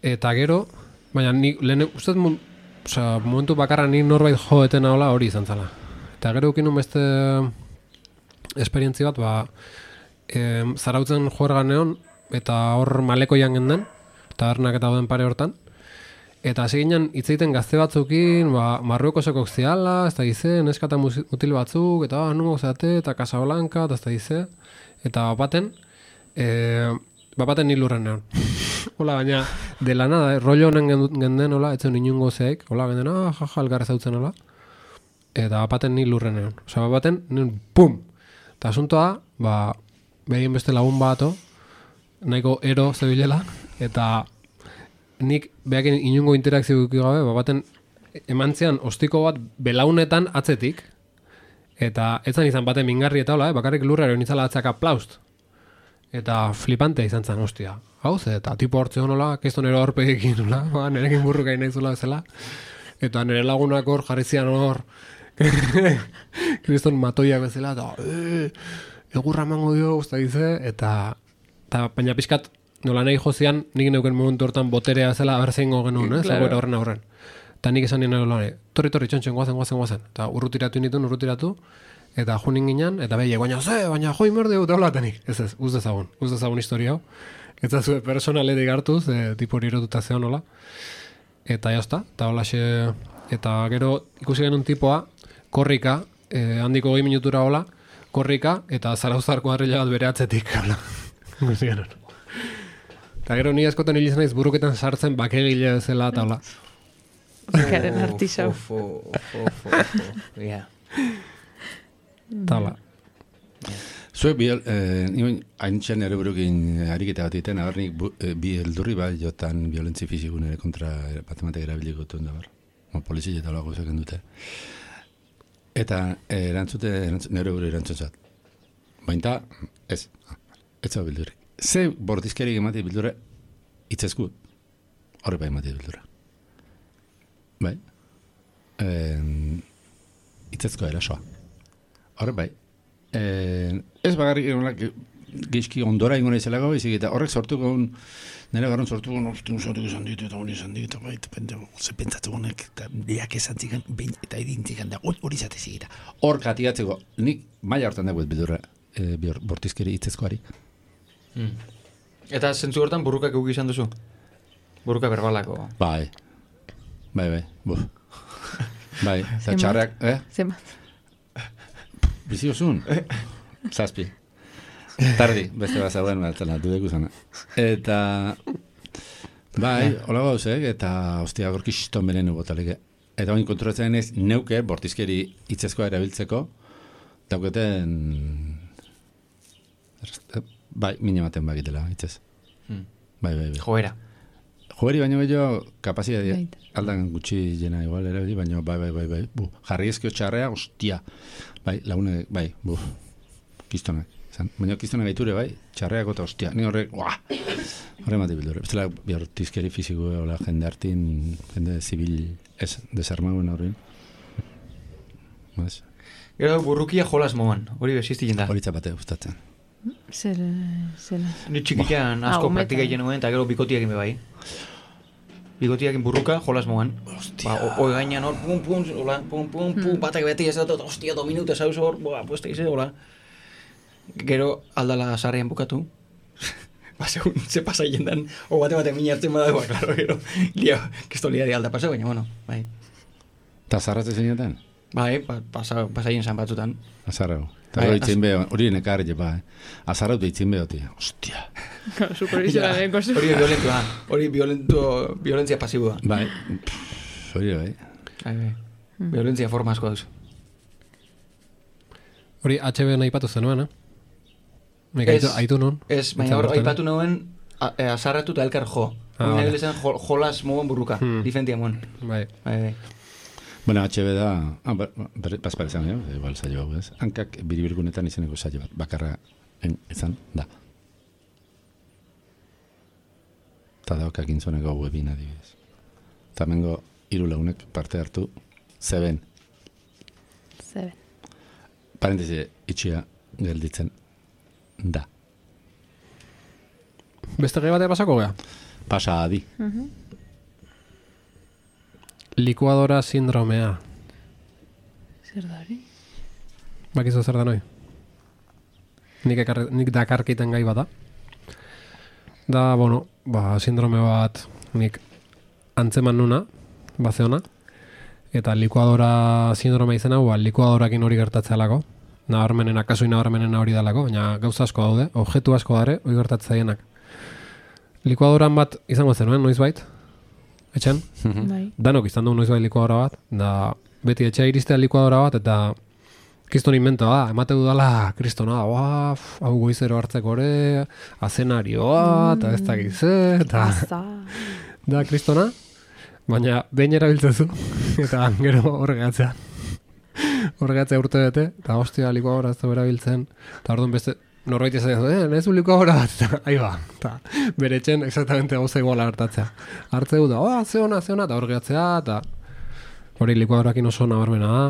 Eta gero, baina, ni, lehen, uste, oza, momentu bakarra ni norbait joetena, hola, hori izan zala. Eta gero ukinun beste esperientzi bat, ba, e, zarautzen joergan egon, eta hor malekoian genden, tabernak eta dauden pare hortan. Eta hasi ginen hitz egiten gazte batzukin, ba, Marruekoseko ziala, ez da gize, neskata mutil batzuk, eta ah, nungo zeate, eta Casablanca, eta ez da gize. Eta bapaten, e, bapaten ni lurren egon. Hola, baina, de la nada, eh, rollo honen genden, hola, etzen inungo zeik, hola, genden, ah, jaja, elgarrez hautzen, hola. Eta bapaten ni lurren egon. Osa, bapaten, nien, pum! Eta asuntoa, ba, behien beste lagun bato, nahiko ero zebilela, eta nik behakin inungo interakzio duki gabe, bapaten emantzian ostiko bat belaunetan atzetik, eta etzan izan baten mingarri eta hola, eh, bakarrik lurrero nintzala atzak aplaust. Eta flipante izan zen, ostia. Hau ze, eta tipo hortze honola, keston ero horpegekin, hola, ba, nerekin burruka inaitzula bezala. Eta nire lagunak hor, jarrizian hor, kriston matoiak bezala, eta e, egurra emango dio, usta dize, eta, eta baina pixkat, nola nahi jozian, nik neuken momentu hortan boterea zela, aberzeingo genuen, eh, claro. Zagoera horren aurren. Eta nik esan nien nola, torri, torri, txontxen, guazen, guazen, guazen. Eta urrutiratu nituen, urrutiratu, eta junin ginen, eta behiek, baina ze, baina joi merde dut, hola tenik. Ez ez, uz dezagun, uz dezagun historia hau. Eta zue personaletik hartuz, e, tipo hori erotuta zeon hola. Eta jazta, eta hola xe, eta gero ikusi genuen tipoa, korrika, eh, handiko goi minutura hola, korrika, eta zarauzarko harrila bat bere atzetik, hola. Ikusi genuen. Eta gero ni askotan hilizan naiz buruketan sartzen bakegile zela, eta hola. Bakaren artisau. Ofo, ofo, ofo, ofo, ja. Eta hola. Zuek bi, eh, nimen, haintxean ere burukin ariketa bat egiten, agar nik bu, eh, bi eldurri bat jotan violentzi fizikun ere kontra matematik erabiliko duen da bar. Polizia eta olago zeken dute. Eta eh, erantzute, erantzute, nire buru erantzuntzat. Baina, ez, ez zau bildurrik. Ze bordizkerik emati bildura itzesku, horre bai emati bildura. Bai? Eh, itzezko erasoa. Horre bai. Eh, ez bagarrik gizki ondora ingona izelago, izik eta horrek sortuko un, nire garron sortuko un, orte un sortuko izan ditu, eta hori izan ditu, eta bai, eta ze pentsatu honek, eta diak esan zikan, behin eta edintzikan da, hori zatezik eta hor katigatzeko, nik maila hortan dagoet bidurra e, bortizkeri itzezkoari. Mm. Eta zentzu hortan burrukak euk izan duzu? Burruka berbalako? Bai, bai, bai, buf. Bai, eta txarrak, eh? Zemat. Bizi osun? Zazpi. Tardi, beste bat zagoen, batzela, dudek uzana. Eta, bai, hola gauzek, eta ostia gorki xiston beren botaleke. Eta bain konturatzen ez, neuke, bortizkeri itzezkoa erabiltzeko, dauketen, bai, mine maten bakitela, itzez. Hmm. Bai, bai, bai. Joera. Joeri baino bello, kapazia dira, aldan gutxi jena igual ere, baino, bai, bai, bai, bai, bu, jarri ezkio txarrea, ostia, bai, lagune, bai, bu, kistonak, Zan, baina kiztuna gaiture bai, txarreako eta ostia, ni horrek, uah, horre mati bildure. Bestela, bihar tizkeri fiziko, hola, jende hartin, jende zibil ez, desarmauen horrein. Bas? Gero burrukia jolas moan, hori besiztien da. Hori txapate gustatzen. Zer, zela. Ni txikitan Ah, asko umetan. praktika egin nuen, eta gero bikotiak ime bai. Bikotiak burruka, jolas moan. Ba, oi gainan hor, pum, pum, hola, pum, pum, pum, batak beti ez dut, ostia, do minute zauz hor, boa, puesta ize, hola. Gero aldala sarrean bukatu. Ba, segun, ze pasa jendan, o bate bate mina hartzen badagoa, klaro, gero, lia, kisto lia di alda pasa, baina, bueno, bai. Eta zarratze zeinetan? Bai, pa, pasa, pasa jen zan batzutan. Azarrau. Eta Bai, hori az- itzin beho, hori nekar jepa, eh? Azarrau da itzin beho, tia. Ostia. Supervisioaren kostu. Hori violentua, hori violento, violentzia pasiboa. Bai, pff, hori bai. Bai, bai. Violentzia forma asko dauz. Hori H B nahi patu zenuen, eh? Nik Ez. aitu, aitu nun. Ez, baina Nintzen hor, bertan, eh? aipatu nuen a- e, azarratu eta elkar jo. Ah, Hori vale. nahi lezen jo, jolas mogon burruka, Hmm. difentia moen. Bai. Bai, bai. Bueno, H B da, ah, ba- ba- berri- bazpare zan, jo, igual zailo hau, ez? Hankak biribirgunetan izeneko zailo bat, bakarra en, izan da. Eta daukak intzoneko webin adibidez. Eta mengo hiru launek parte hartu, zeben, Zeben. parentesi itxia gelditzen da. Beste gai batea pasako gea? Pasa adi. Likuadora sindromea. Zer da hori? Bakizu zer da noi? Nik, ekar, nik dakarkiten gai bada. Da, bueno, ba, sindrome bat nik antzeman nuna, bazeona. Eta likuadora sindromea izen hau, ba, likuadorakin hori gertatzealako. Nabarmenen, akasoi nabarmenen hori dalako, baina gauza asko daude, objektu asko dare, hori gertatzaienak. Likuadoran bat izango zenuen, noizbait? Etxen? Bai. Danok izan du noizbait likuadora bat, da beti etxea iristea likuadora bat, eta kriston inventoa da, emate dudala kristona, da, hau goizero hartzeko ere, azenarioa, eta ez dakiz, eta Aza. da kristona, baina behin erabiltzen zu, eta gero horregatzea. Horregatzea urte bete, eta hostia likuadora ez du erabiltzen, eta orduan beste, norbait izan du, eh, nezu likuadora bat, eta ahi ba, eta bere etxen exactamente gauza iguala hartatzea. Hartzeu da, oh, ze ona, ze ona, eta horregatzea, eta hori likuadorakin oso nabarmena da,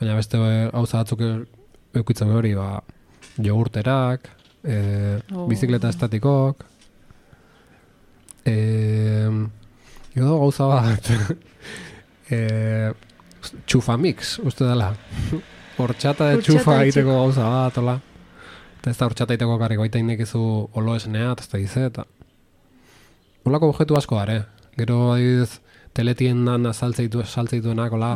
baina beste eh, gauza batzuk eukitzen hori, ba, jogurterak, e, Oh. bizikleta estatikok, e, edo gauza bat, e, txufamix, uste dela. Hortxata de Hortxata txufa de egiteko txufa. gauza bat, hola. Eta ez da hortxata egiteko karrik, baita indekizu olo esnea, eta ez da gize, eta holako objektu asko dare. Gero, adibidez, teletiendan saltzeitu, saltzeituenak, hola,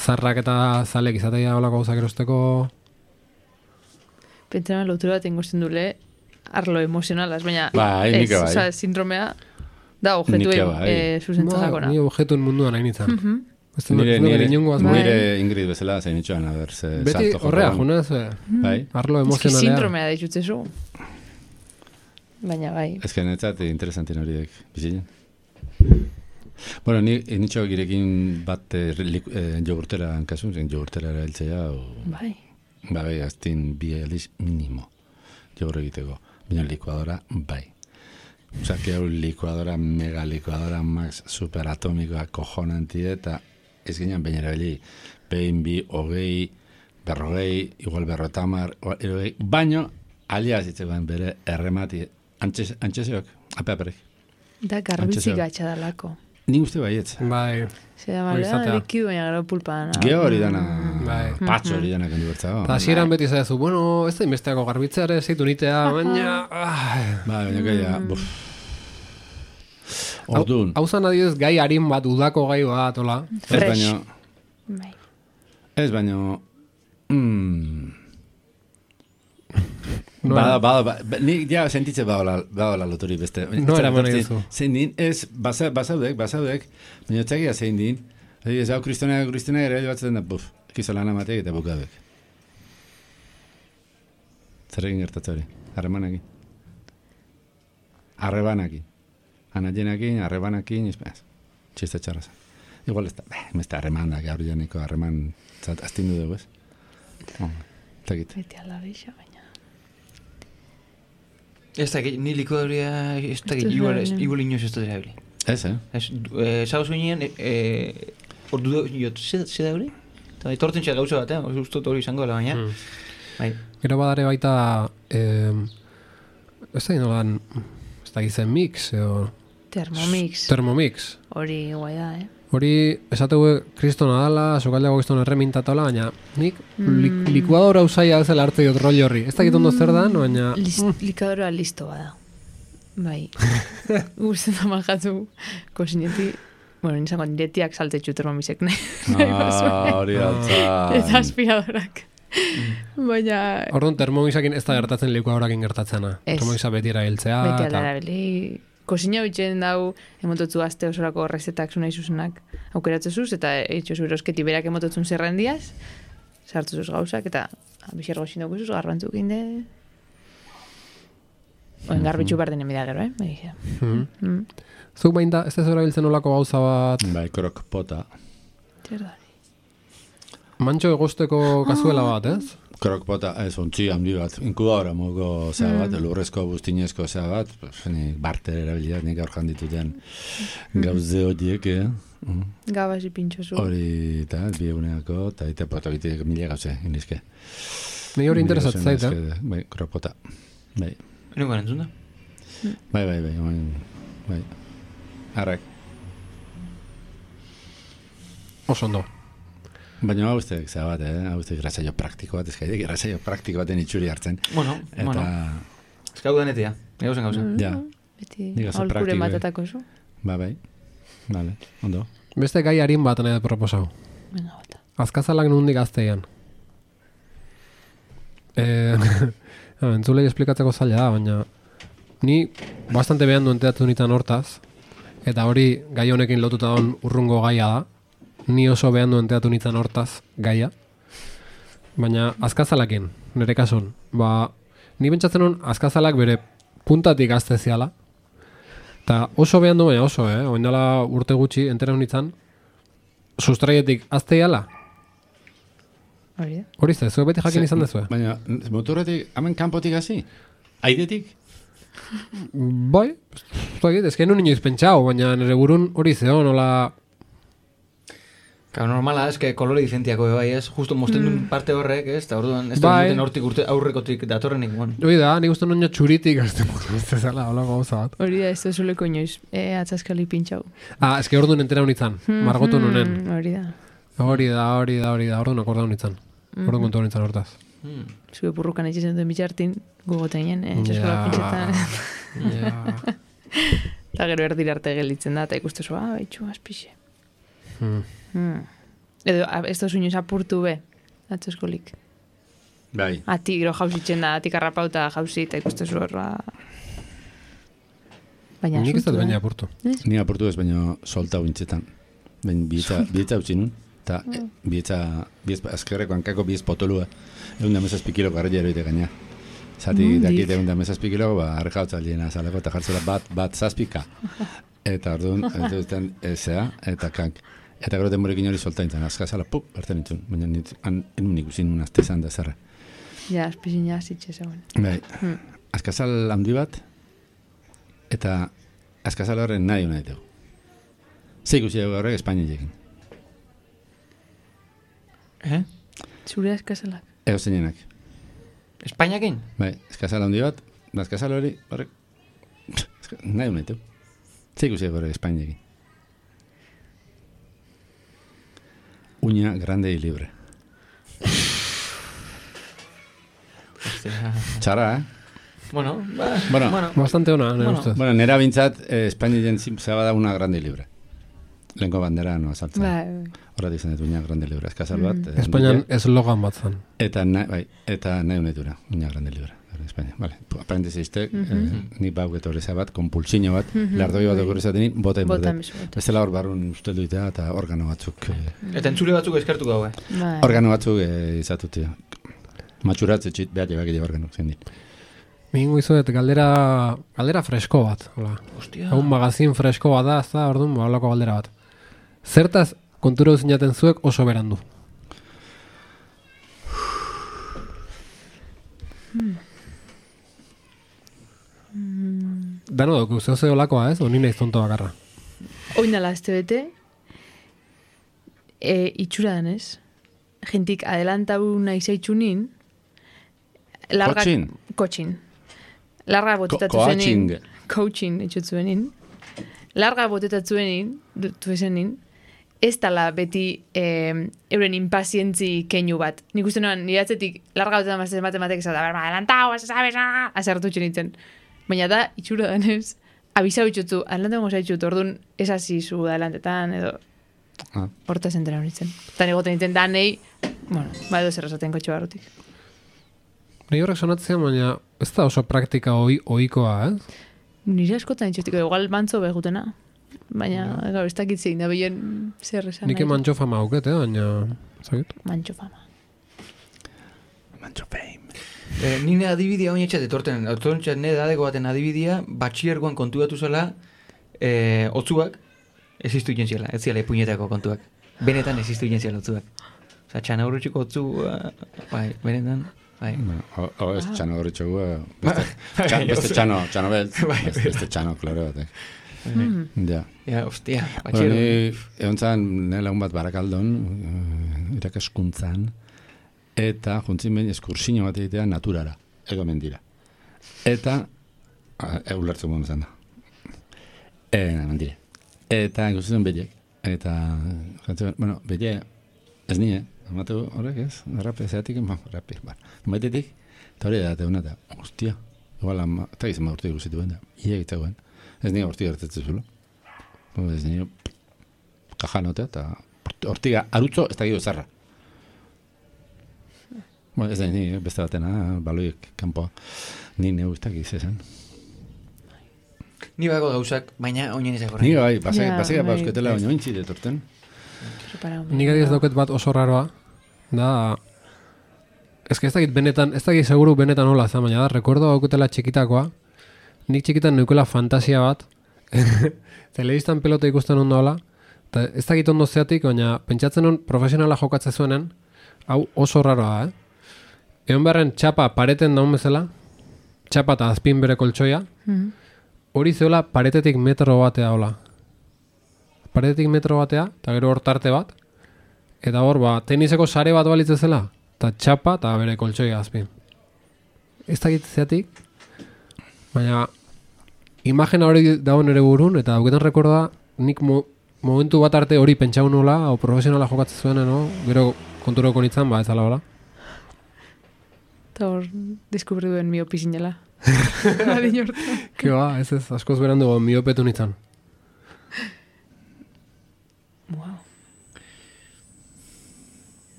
zarrak eta zalek izatea holako gauzak erosteko. Pentsana lotura bat ingosten dule arlo emozionalaz, baina Bai, nik bai. Osa, sindromea da objektu Nik bai. e, zuzentzakona. Ni objektuen munduan hain nintzen. Mhm. Ez du Nire, ez du nire, bere inongo asmo. Bai. nire Ingrid bezala zein itxoan, a ber, ze Beti salto horrea, jokoan. junez, eh, Bai, arlo Ez ki emozionalea. sindromea da ditutzezu. Baina bai. ez que netzat interesantin horiek bizitzen. Bueno, ni nitxo girekin bat eh, lik- eh, jogurtera hankasun, zen jogurtera erabiltzea, o, Bai. ba, bai, aztin bi aldiz minimo jogur egiteko. Baina likuadora, bai. Osa, que hau likuadora, mega likuadora, max, superatomikoa, kojonanti eta ez ginen baina erabili. Behin, bi, hogei, berrogei, igual berrotamar, irogei, baino, alia zitzegoen bere erremati, antxez, antxezeok, ape aperek. Da garbizi Antxezeo. gatxa dalako. Ni uste baietz. Bai, Zer Hori da, izatea. likidu baina gero pulpan. Geo hori dana, Bai. patxo hori dana kendu bertzago. eta hasieran beti zaizu, bueno, ez da inbesteako garbitzeare, zeitu nitea, baina... ah. Ba, baina gaia, buf. Orduan, Hau zan adibidez gai harin bat, udako gai bat, hola. ez Fresh. baino, Bai. ez baino, mm, No bada, era- bada, ba, ba, ni ja sentitze badola, badola lotori beste. No eraman nahi duzu. Zein din, ez, basa, basaudek, basaudek, baina txakia zein din, ez hau kristona, kristona ere batzen da, buf, ekizo lan amateak eta bukadek. Zer egin gertatze hori? Harremanekin. Arrebanakin. Anaienakin, arrebanakin, ez, txiste txarra zen. Igual ez da, beh, meste harremandak, gaur janeko harreman, zat, aztindu dugu, ez? Oh, eta egite. Beti ala bixa, baina. Ez da, ni likuadorea, ez da, igual inoz ez da erabili. Ez, eh? Ez, zago zuenean, ordu jot, ze da hori? Eta etortzen txat gauza bat, eh? Ustot hori izango dela baina. Bai. Gero badare baita, eh, ez da inolan, ez da gizen mix, edo... Thermomix. Thermomix. Hori guai da, eh? Hori, esategu kristona dala, sokaldeago kriston erremintatola, baina nik mm. likuadora usaia bezala hartu dut rol horri. Ez dakit ondo zer da, baina... List, likadora listo bada. Bai. Gusten da majatu kosineti. Bueno, nizango niretiak saltetxu termomizek nahi. Ah, hori altza. Eta aspiradorak. Baina... Orduan, termomixakin ez da gertatzen likuadorakin gertatzena. Termomixa beti erabiltzea. Beti erabili. Kosina bitxen dau, emototzu azte osorako rezetak zunai zuzenak aukeratzezuz, eta eitxozu erosketi berak emototzun zerrendiaz, sartzuzuz gauzak, eta bixergo xindokuzuz, garbantzuk inde... Oen garbitxu barden emida gero, eh? Begia. Mm-hmm. Mm. Zuk bain da, ez da zora biltzen olako gauza bat... Bai, krokpota. Txerdari. Mantxo egosteko kazuela bat, ez? Krokpota, ez, ontzi handi bat, inkubadora mogo zea bat, mm. lurrezko buztinezko zea bat, nik barter erabiliat, nik aurkan dituten gauze horiek, eh? Mm. Gabasi pintxozu. Hori, eta, bi eguneako, eta ite potokitik mila gauze, indizke. Ni hori interesat zait, eh? Bai, krokpota, bai. Nuko entzun da? Bai, bai, bai, bai, bai. Arrak. Oso ondo. Baina hau usteak zea bat, eh? Hau usteak grasaio praktiko bat, ezkaitek grasaio praktiko baten itxuri hartzen. Bueno, eta... bueno. Ez gau denetia, egauzen gauza. Mm, ja. Beti aholkure matatako zu. Ba, bai. Vale, ondo. Beste gai harin bat nahi proposau. Venga, bata. Azkazalak nundik azteian. Eh, entzulei esplikatzeko zaila da, baina ni bastante behan duen teatu nitan hortaz, eta hori gai honekin lotuta don urrungo gaia da. Ni oso behan duen teatu nintzen hortaz gaia. Baina azkazalakin, nire kasun. Ba, ni bentsatzen hon azkazalak bere puntatik azteziala. Eta oso behan du, baina oso, eh? Oindala urte gutxi entera honitzen, sustraietik azteiala. Hori da. Hori ze, zuek beti jakin izan dezue. Baina, motorretik, hemen kanpotik hasi? Aidetik? Bai, ez que nun inoiz pentsau, baina nire burun hori zeo, nola... Claro, normala, ez que kolore dizentiako bai, ez? Justo mosten duen parte horrek, ez? Eta orduan, ez da Bai. duten hortik urte aurrekotik datorrenik, bueno. Hori da, nik uste noño txuritik azte ez zela, hola gauza bat. Hori da, ez da zuleko inoiz, e, atzaskali pintxau. Ah, ez que orduan entera honitzen, margotu nunen. Hori da. Hori da, hori da, hori da, orduan akorda honitzen. Orduan kontu honitzen hortaz. Hmm. Zue purrukan etxezen duen bitxartin, gugoteinen, eh, txaskola pintxetan. Ja. Eta gero erdira arte gelitzen da, eta ikustu zua, ah, baitxu, azpixe. Hmm. Hmm. Edo, ez da zuñoz apurtu be, atzaskolik. Bai. Ati, gero jauzitzen da, atik arrapauta jauzi, eta ikustu zua, ba... Baina Nik ez dut asuntu, baina eh? apurtu. Ni apurtu ez, baina solta uintzetan. Baina bietza, bietza utzi nun, eta e, bietza, biez, azkerreko hankako biez potolua, egun da mesazpi kiloko arrela eroite gaina. Zati Mundik. dakit egun da mesazpi kiloko, ba, arreka hotzaldiena zaleko, eta jartzela bat, bat zazpika. Eta orduan, entzutzen, ezea, eta kank. Eta gero denborekin hori solta nintzen, azkazala, pup, hartzen nintzen. Baina nintzen, enun ikusin nun azte zan da zerra. Ja, azpizin ja, zitxe zegoen. Bai, Hmm. azkazal handi bat, eta azkazal horren nahi hona ditu. Ze ikusi dugu horrek Espainiarekin. Eh? Zure askazalak. Ego zeinenak. Espainiakin? Bai, azkazal handi bat, da azkazal hori, horrek, nahi hona ditu. Ze ikusi dugu horrek Espainiarekin. Uña grande y libre. Hostia. Txarra, eh? Bueno, ba, Bueno. bueno. Bastante ona, nire Bueno. ustez. Bueno, nera bintzat, eh, Espainien zaba da una grande y libre. Lehenko bandera no azaltzen. Bai, Horra dizan dut, uña grande y libre. Azkazal bat. eh, Espainian handike. eslogan bat zan. Eta nahi, bai, eta nahi honetura, uña grande y libre. En España, vale. Aparentez izte, eh, ni bau getorreza bat, konpulsino bat, lardoi bat okurrizatenin, bota Bota inborde. mesu, bota. Ez dela hor barrun uste duitea, eta organo batzuk, eh, Eta entzule batzuk eskertuko hau, eh? Bai. organo batzuk eh, izatutia. Matxuratze txit, behar jebak edo organo zen dit. Mingo izuet, galdera, galdera fresko bat. Hola. Hostia. Un magazin fresko bat da, ez da, orduan, ba, holako galdera bat. Zertaz, kontura zinaten zuek oso berandu. dano duk, zeo zeo lakoa, ez? Oni nahiz tonto bakarra. Oinala este bete, e, itxura danez, jentik adelantau nahi zaitxunin, larga... Kotxin? Kotxin. Larga botetatu Ko- zenin. coaching. Coaching, etxutzuenin. Larga botetatu zenin, du zenin, ez tala beti eh, euren impazientzi keinu bat. Nik uste noan, nire atzetik larga botetan mazten matematek esat, berma, adelantau, sabes, ah, azertu txenitzen. Baina da, itxura danez, abisau itxutzu, adelante gongo zaitxut, orduan ez hasi zu adelantetan, edo Ah. horta zentera horitzen. Eta negoten nintzen da nahi, bueno, ba edo zer esaten kotxe barrutik. Nei horrek sonatzen, baina ez da oso praktika oi, oikoa, ez? Nire askotan itxutiko, igual mantzo behutena. Baina, gaur, ez dakit zein da behien zer esan Nik emantxo fama auket, eh? Baina, zakit? Mantxo fama. Mancho fame. Eh, nire adibidea oin etxat etorten, etorten nire dadeko baten adibidea, batxiergoan kontuatu zela, eh, otzuak, existu iten ziela, ez ziela puñetako kontuak. Benetan existu iten ziela otzuak. Osa, txana horretxiko otzu, uh, bai, benetan, bai. O, o ez txano horretxogu, beste, txano, beste txano, txano beltz, beste, beste txano, klaro batek. Mm. Ja. Ja, ostia, Bueno, batxiergo. ni egon zan, nire lagun bat barakaldon, uh, irakaskuntzan, eta juntzin behin eskursino bat egitea naturara, ego mendira. Eta, uh, ulertzen guen zan da. E, mendire. Eta ikusten bellek. Eta, jantzen, bueno, belle, ez nire, amatu horrek ez, rape, zeatik, ma, rape, ba. Maitetik, eta hori da, eta hona, eta, ostia, igual, ama, eta gizan ma urte ikusitu ben da, ia egitzegoen. Ez nire hortiga gertatzen zulo. Ez nire, kajanotea, eta hortiga, arutzo, ez da gero zarra. Bueno, ez da nire, beste batena, baloiek kanpoa, ni neu ez da gizizan. Ni bako gauzak, baina oinen ezak horrein. Ni bai, pasek, Ja, pasek, bai. pauzketela, baina ointzi detorten. Nik adiez dauket bat oso raroa, da... Ez que ez dakit benetan, ez dakit seguru benetan hola, za, baina da, rekordo dauketela txikitakoa, nik txikitan neukela fantasia bat, telebistan pelota ikusten ondo hola, eta ez dakit ondo zeatik, baina pentsatzen hon profesionala jokatze zuenen, hau oso raroa da, eh? Egon beharren txapa pareten daun bezala, txapa eta azpin bere koltsoia, Mm. hori zeola paretetik metro batea hola. Paretetik metro batea, eta gero hor tarte bat, eta hor, ba, teniseko sare bat balitze zela, eta txapa eta bere koltsoia azpin. Ez dakit zeatik, baina imagina hori dago nere burun, eta dauketan rekorda, nik mo, momentu bat arte hori pentsau nola, o profesionala jokatzen zuen, no? Gero konturoko nintzen, ba, ez ala hola. Eta hor, deskubri duen miopi zinela. Adin hortan. Ke ba, ez ez, askoz berandu miopetu nintzen. Wow.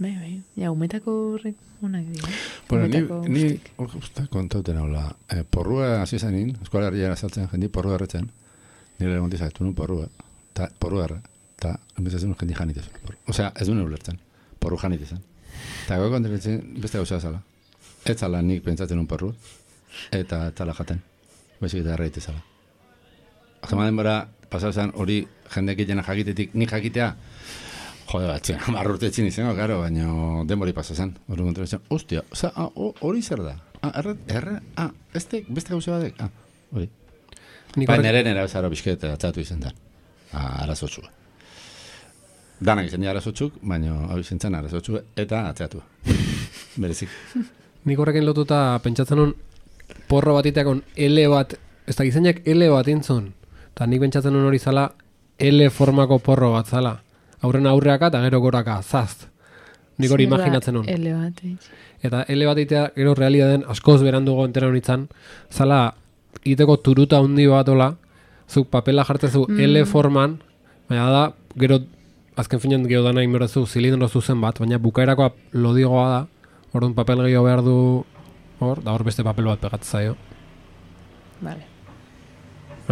Bai, bai. Ja, umetako horrek onak dira. Bueno, ni, Umetako ni guztik. hor guztak kontauten hola. Eh, porrua hasi zenin, eskola herriera saltzen jendi porrua erretzen. Nire egon dizaktu nu porrua. Ta, porrua erra. Ta, enbezatzen jendi janitezun. Osea, ez duen ulertzen. Porru janitezun. Ta gau kontatzen beste gauza zala. Ez zala nik pentsatzen un porru. Eta ez zala jaten. Baizik eta erraite zala. Zema denbora, pasazan hori jendek jena jakitetik nik jakitea. Jode batzen, marrurtetzen izango, karo, baina denbori pasazan. Hori kontratzen, ostia, oza, ah, ho- hori zer da? Ah, erre, erre, ah, beste, beste gauza badek? Ah, hori. Nik Ba, horrek- nire nire zara bizket atzatu izan da. Ah, arazotxua. Danak izan dira arazotzuk, baina hau izan zen arazotzua eta atzatu. Berezik. Nik horrekin lotuta pentsatzen hon porro bat iteakon L bat, ez da gizainak L bat intzun. Eta nik pentsatzen hon hori zala L formako porro bat zala. Aurren aurreaka eta gero goraka, zaz. Nik hori Zer da imaginatzen hon. L bat, eh? Eta L bat itea gero realitaten askoz berandugo entera honitzen, zala iteko turuta handi bat ola, zuk papela jartzezu Mm. L forman, baina da, gero azken finean gero dana inberdezu zilindro zuzen bat, baina bukaerakoa lodigoa da, orduan papel gehiago behar du hor, da hor beste papel bat pegatzen zaio. Vale.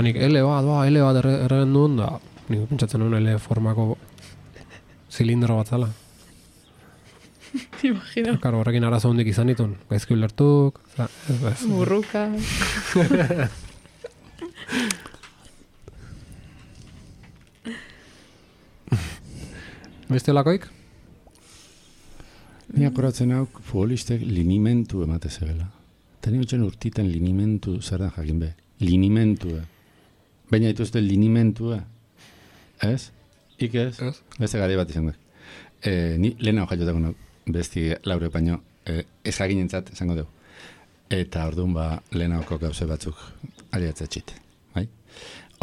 Nik L bat, ba, L bat erre- erregen duen, da, nik pentsatzen nuen L formako zilindro bat zala. Imagino. Karo, horrekin arazo hondik izan ditun, gaizki ulertuk, za, ez, ez. Burruka. Beste olakoik? Ni akoratzen hau futbolistek linimentu emate zegela. Eta ni utxen urtiten linimentu zer den jakin be. linimentua. Baina dituzte linimentua. Ez? Ik ez? Ez. Beste gari bat izan dut. E, ni lehena hojatutako nago, besti laure baino, e, ez jakinentzat esango dugu. Eta orduan ba, lehenako gauze batzuk aliatzatxit. Bai?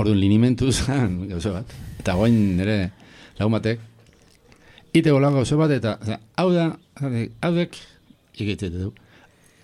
Orduan linimentu zen gauze bat. Eta goin nire lagun batek, ite gola gauze bat, eta oza, hau da, hau dek, ikeitzete du,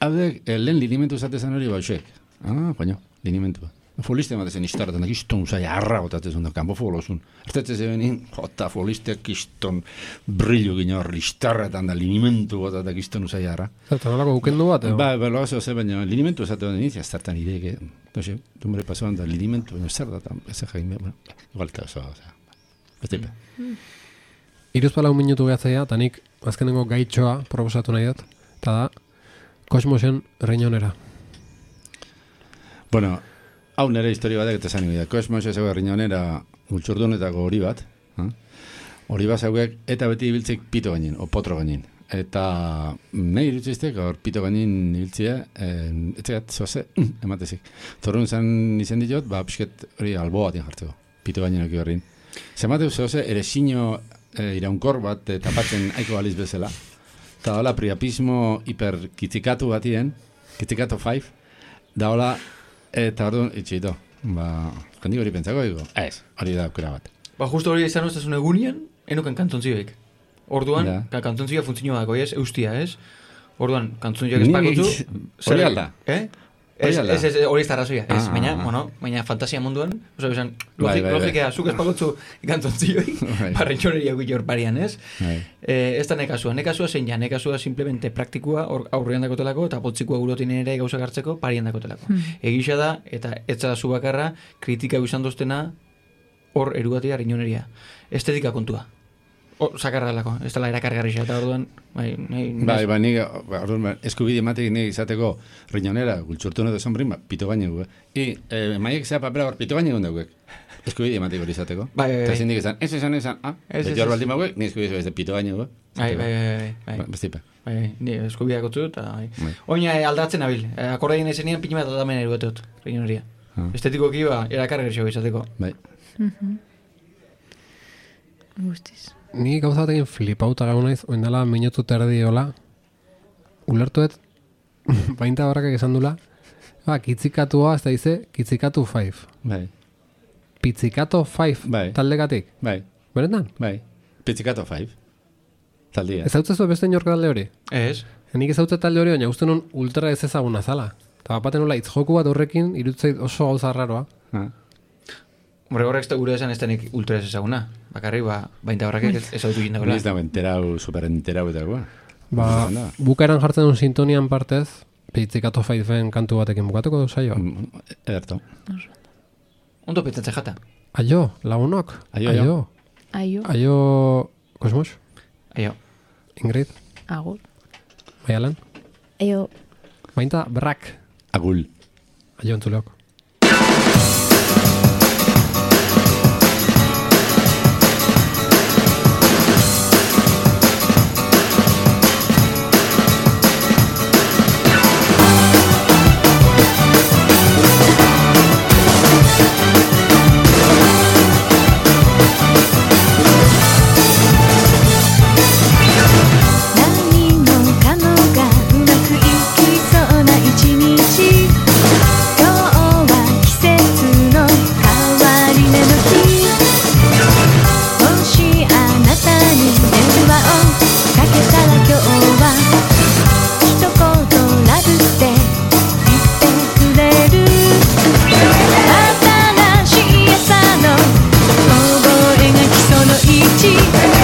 hau dek, eh, lehen linimentu zatezan hori bausek. Ah, baino, linimentua. Foliste ematezen istarretan, kiston usai arra gotatzen da, kanpo folozun. Ertetzen zebenin, jota folisteak kiston brillu gino horri istarretan da, linimentu gotatak kiston usai arra. Zertan olako ukendu bat, edo? Ba, ba, loazo ze, baina linimentu esate bat initzia, zertan ideek, no sé, dumbre pasoan da linimentu, baina zer da, ez egin behar, bueno, igualta oso, oza, ez tipe. Iruzpalau minutu gehatzaia, eta nik azkenengo gaitxoa proposatu nahi dut, eta da, Kosmosen Riñonera. Bueno, hau nire historia batek eta zan ibida. Kosmos ez egoa Riñonera gultxurdunetako hori bat, ha? Hori bat zauek, eta beti ibiltzik pito gainin, o potro gainin. Eta nahi irutziztek, hor pito gainin ibiltzia, eh, etxegat zoze, ematezik. Zorun zan izen ditot, ba, pixket hori albo bat jartzeko, pito gainin oki horrin. Zemate zoze, ere sino eh, iraunkor bat eh, tapatzen aiko baliz bezala. Eta hola, priapismo hiperkitzikatu batien, kitzikatu five, da hola, eta orduan, itxito, ba, jendik hori pentsako digo, ez, hori da aukera bat. Ba, justo hori izan ustezun egunian, enoken kantzontzioek. Orduan, Da. ka kantzontzioa funtzioa dako, ez, eustia, ez? Orduan, kantzontzioak espakotzu... Hori alda. Eh? Hori Ez, alda. ez, ez, hori ez da razoia, ez, Ah, baina, ah. bueno, baina fantasia munduan, oso, esan, Bai, logik, bai, bai. logikea, zuk espakotzu kantzontzioik, Bai. barretxoneria guior parian, ez? Bai. Eh, ez da nekazua, nekazua zein ja, nekazua simplemente praktikua hor aurrean dakotelako eta potzikua gurotin ere gauzak hartzeko parian dakotelako. Egisa da, eta ez da zu bakarra, kritika izan doztena hor erugatia riñoneria. Estetika kontua. Hor, sakarra delako, ez dela erakargarri eta orduan, bai, nahi... Bai, ba, nik, ba, orduan, ba, eskubide ematek nik izateko Riñonera, gultxurtune de sombrin, ba, pito gainegu, eh? I, eh, maiek zea papera hor pito gainegu daukek. Eskubide ematek hori izateko. Bai, bai, Eta bai. zindik izan, ez esan, esan, ah, Ez, ez, beti hor ez. baldin bauek, ni eskubide ez de pito gainegu. Bai, bai, bai, bai, bai. Bestipe. Bai, ni eskubideak utzu, eta bai. Bai. Oina eh, aldatzen abil, eh, akordaien ezenean pina bat atamen erugateot, riñoneria. Ah. Estetikoki ba, erakargarri xo izateko. Bai. Guztiz. Ni gauza batekin flipauta gau naiz, oindala minutu terdi hola, ulertuet, bainta barrakak esan dula, ba, kitzikatua, ez da dize, kitzikatu five. Bai. Pitzikato five Bai. taldekatik. Bai. Beretan? Bai. Pitzikato five. Taldia. Ez hau beste inork talde hori? Ez? Nik ez hau talde hori, baina uste nun ultra ez ezaguna zala. Eta bapaten nola itzjoku bat horrekin, irutzeit oso gauza raroa. Ah. Hombre, horrek ez da gure esan ez denik ultra ez ezaguna. Bakarrik, ba, bainta horrekek ez, ez hau dukin Hori dagoela. ez da enterau, super enterau eta gua. Ba, bukaeran jartzen duen sintonian partez, pitzikato faifen kantu batekin bukatuko du saioa. Ederto. Ondo petzatzen jata. Aio, lagunok. Aio, aio. Aio. Aio, Aio, Kosmos, Aio. Ingrid, agur. Maialan, Aio, bainta brak. Agul. Aio entzuleok.何もかもがうまくいきそうな一日今日は季節の変わり目の日もしあなたに電話をかけたら今日は一言ラブって言ってくれる新しい朝の覚えが基礎の位置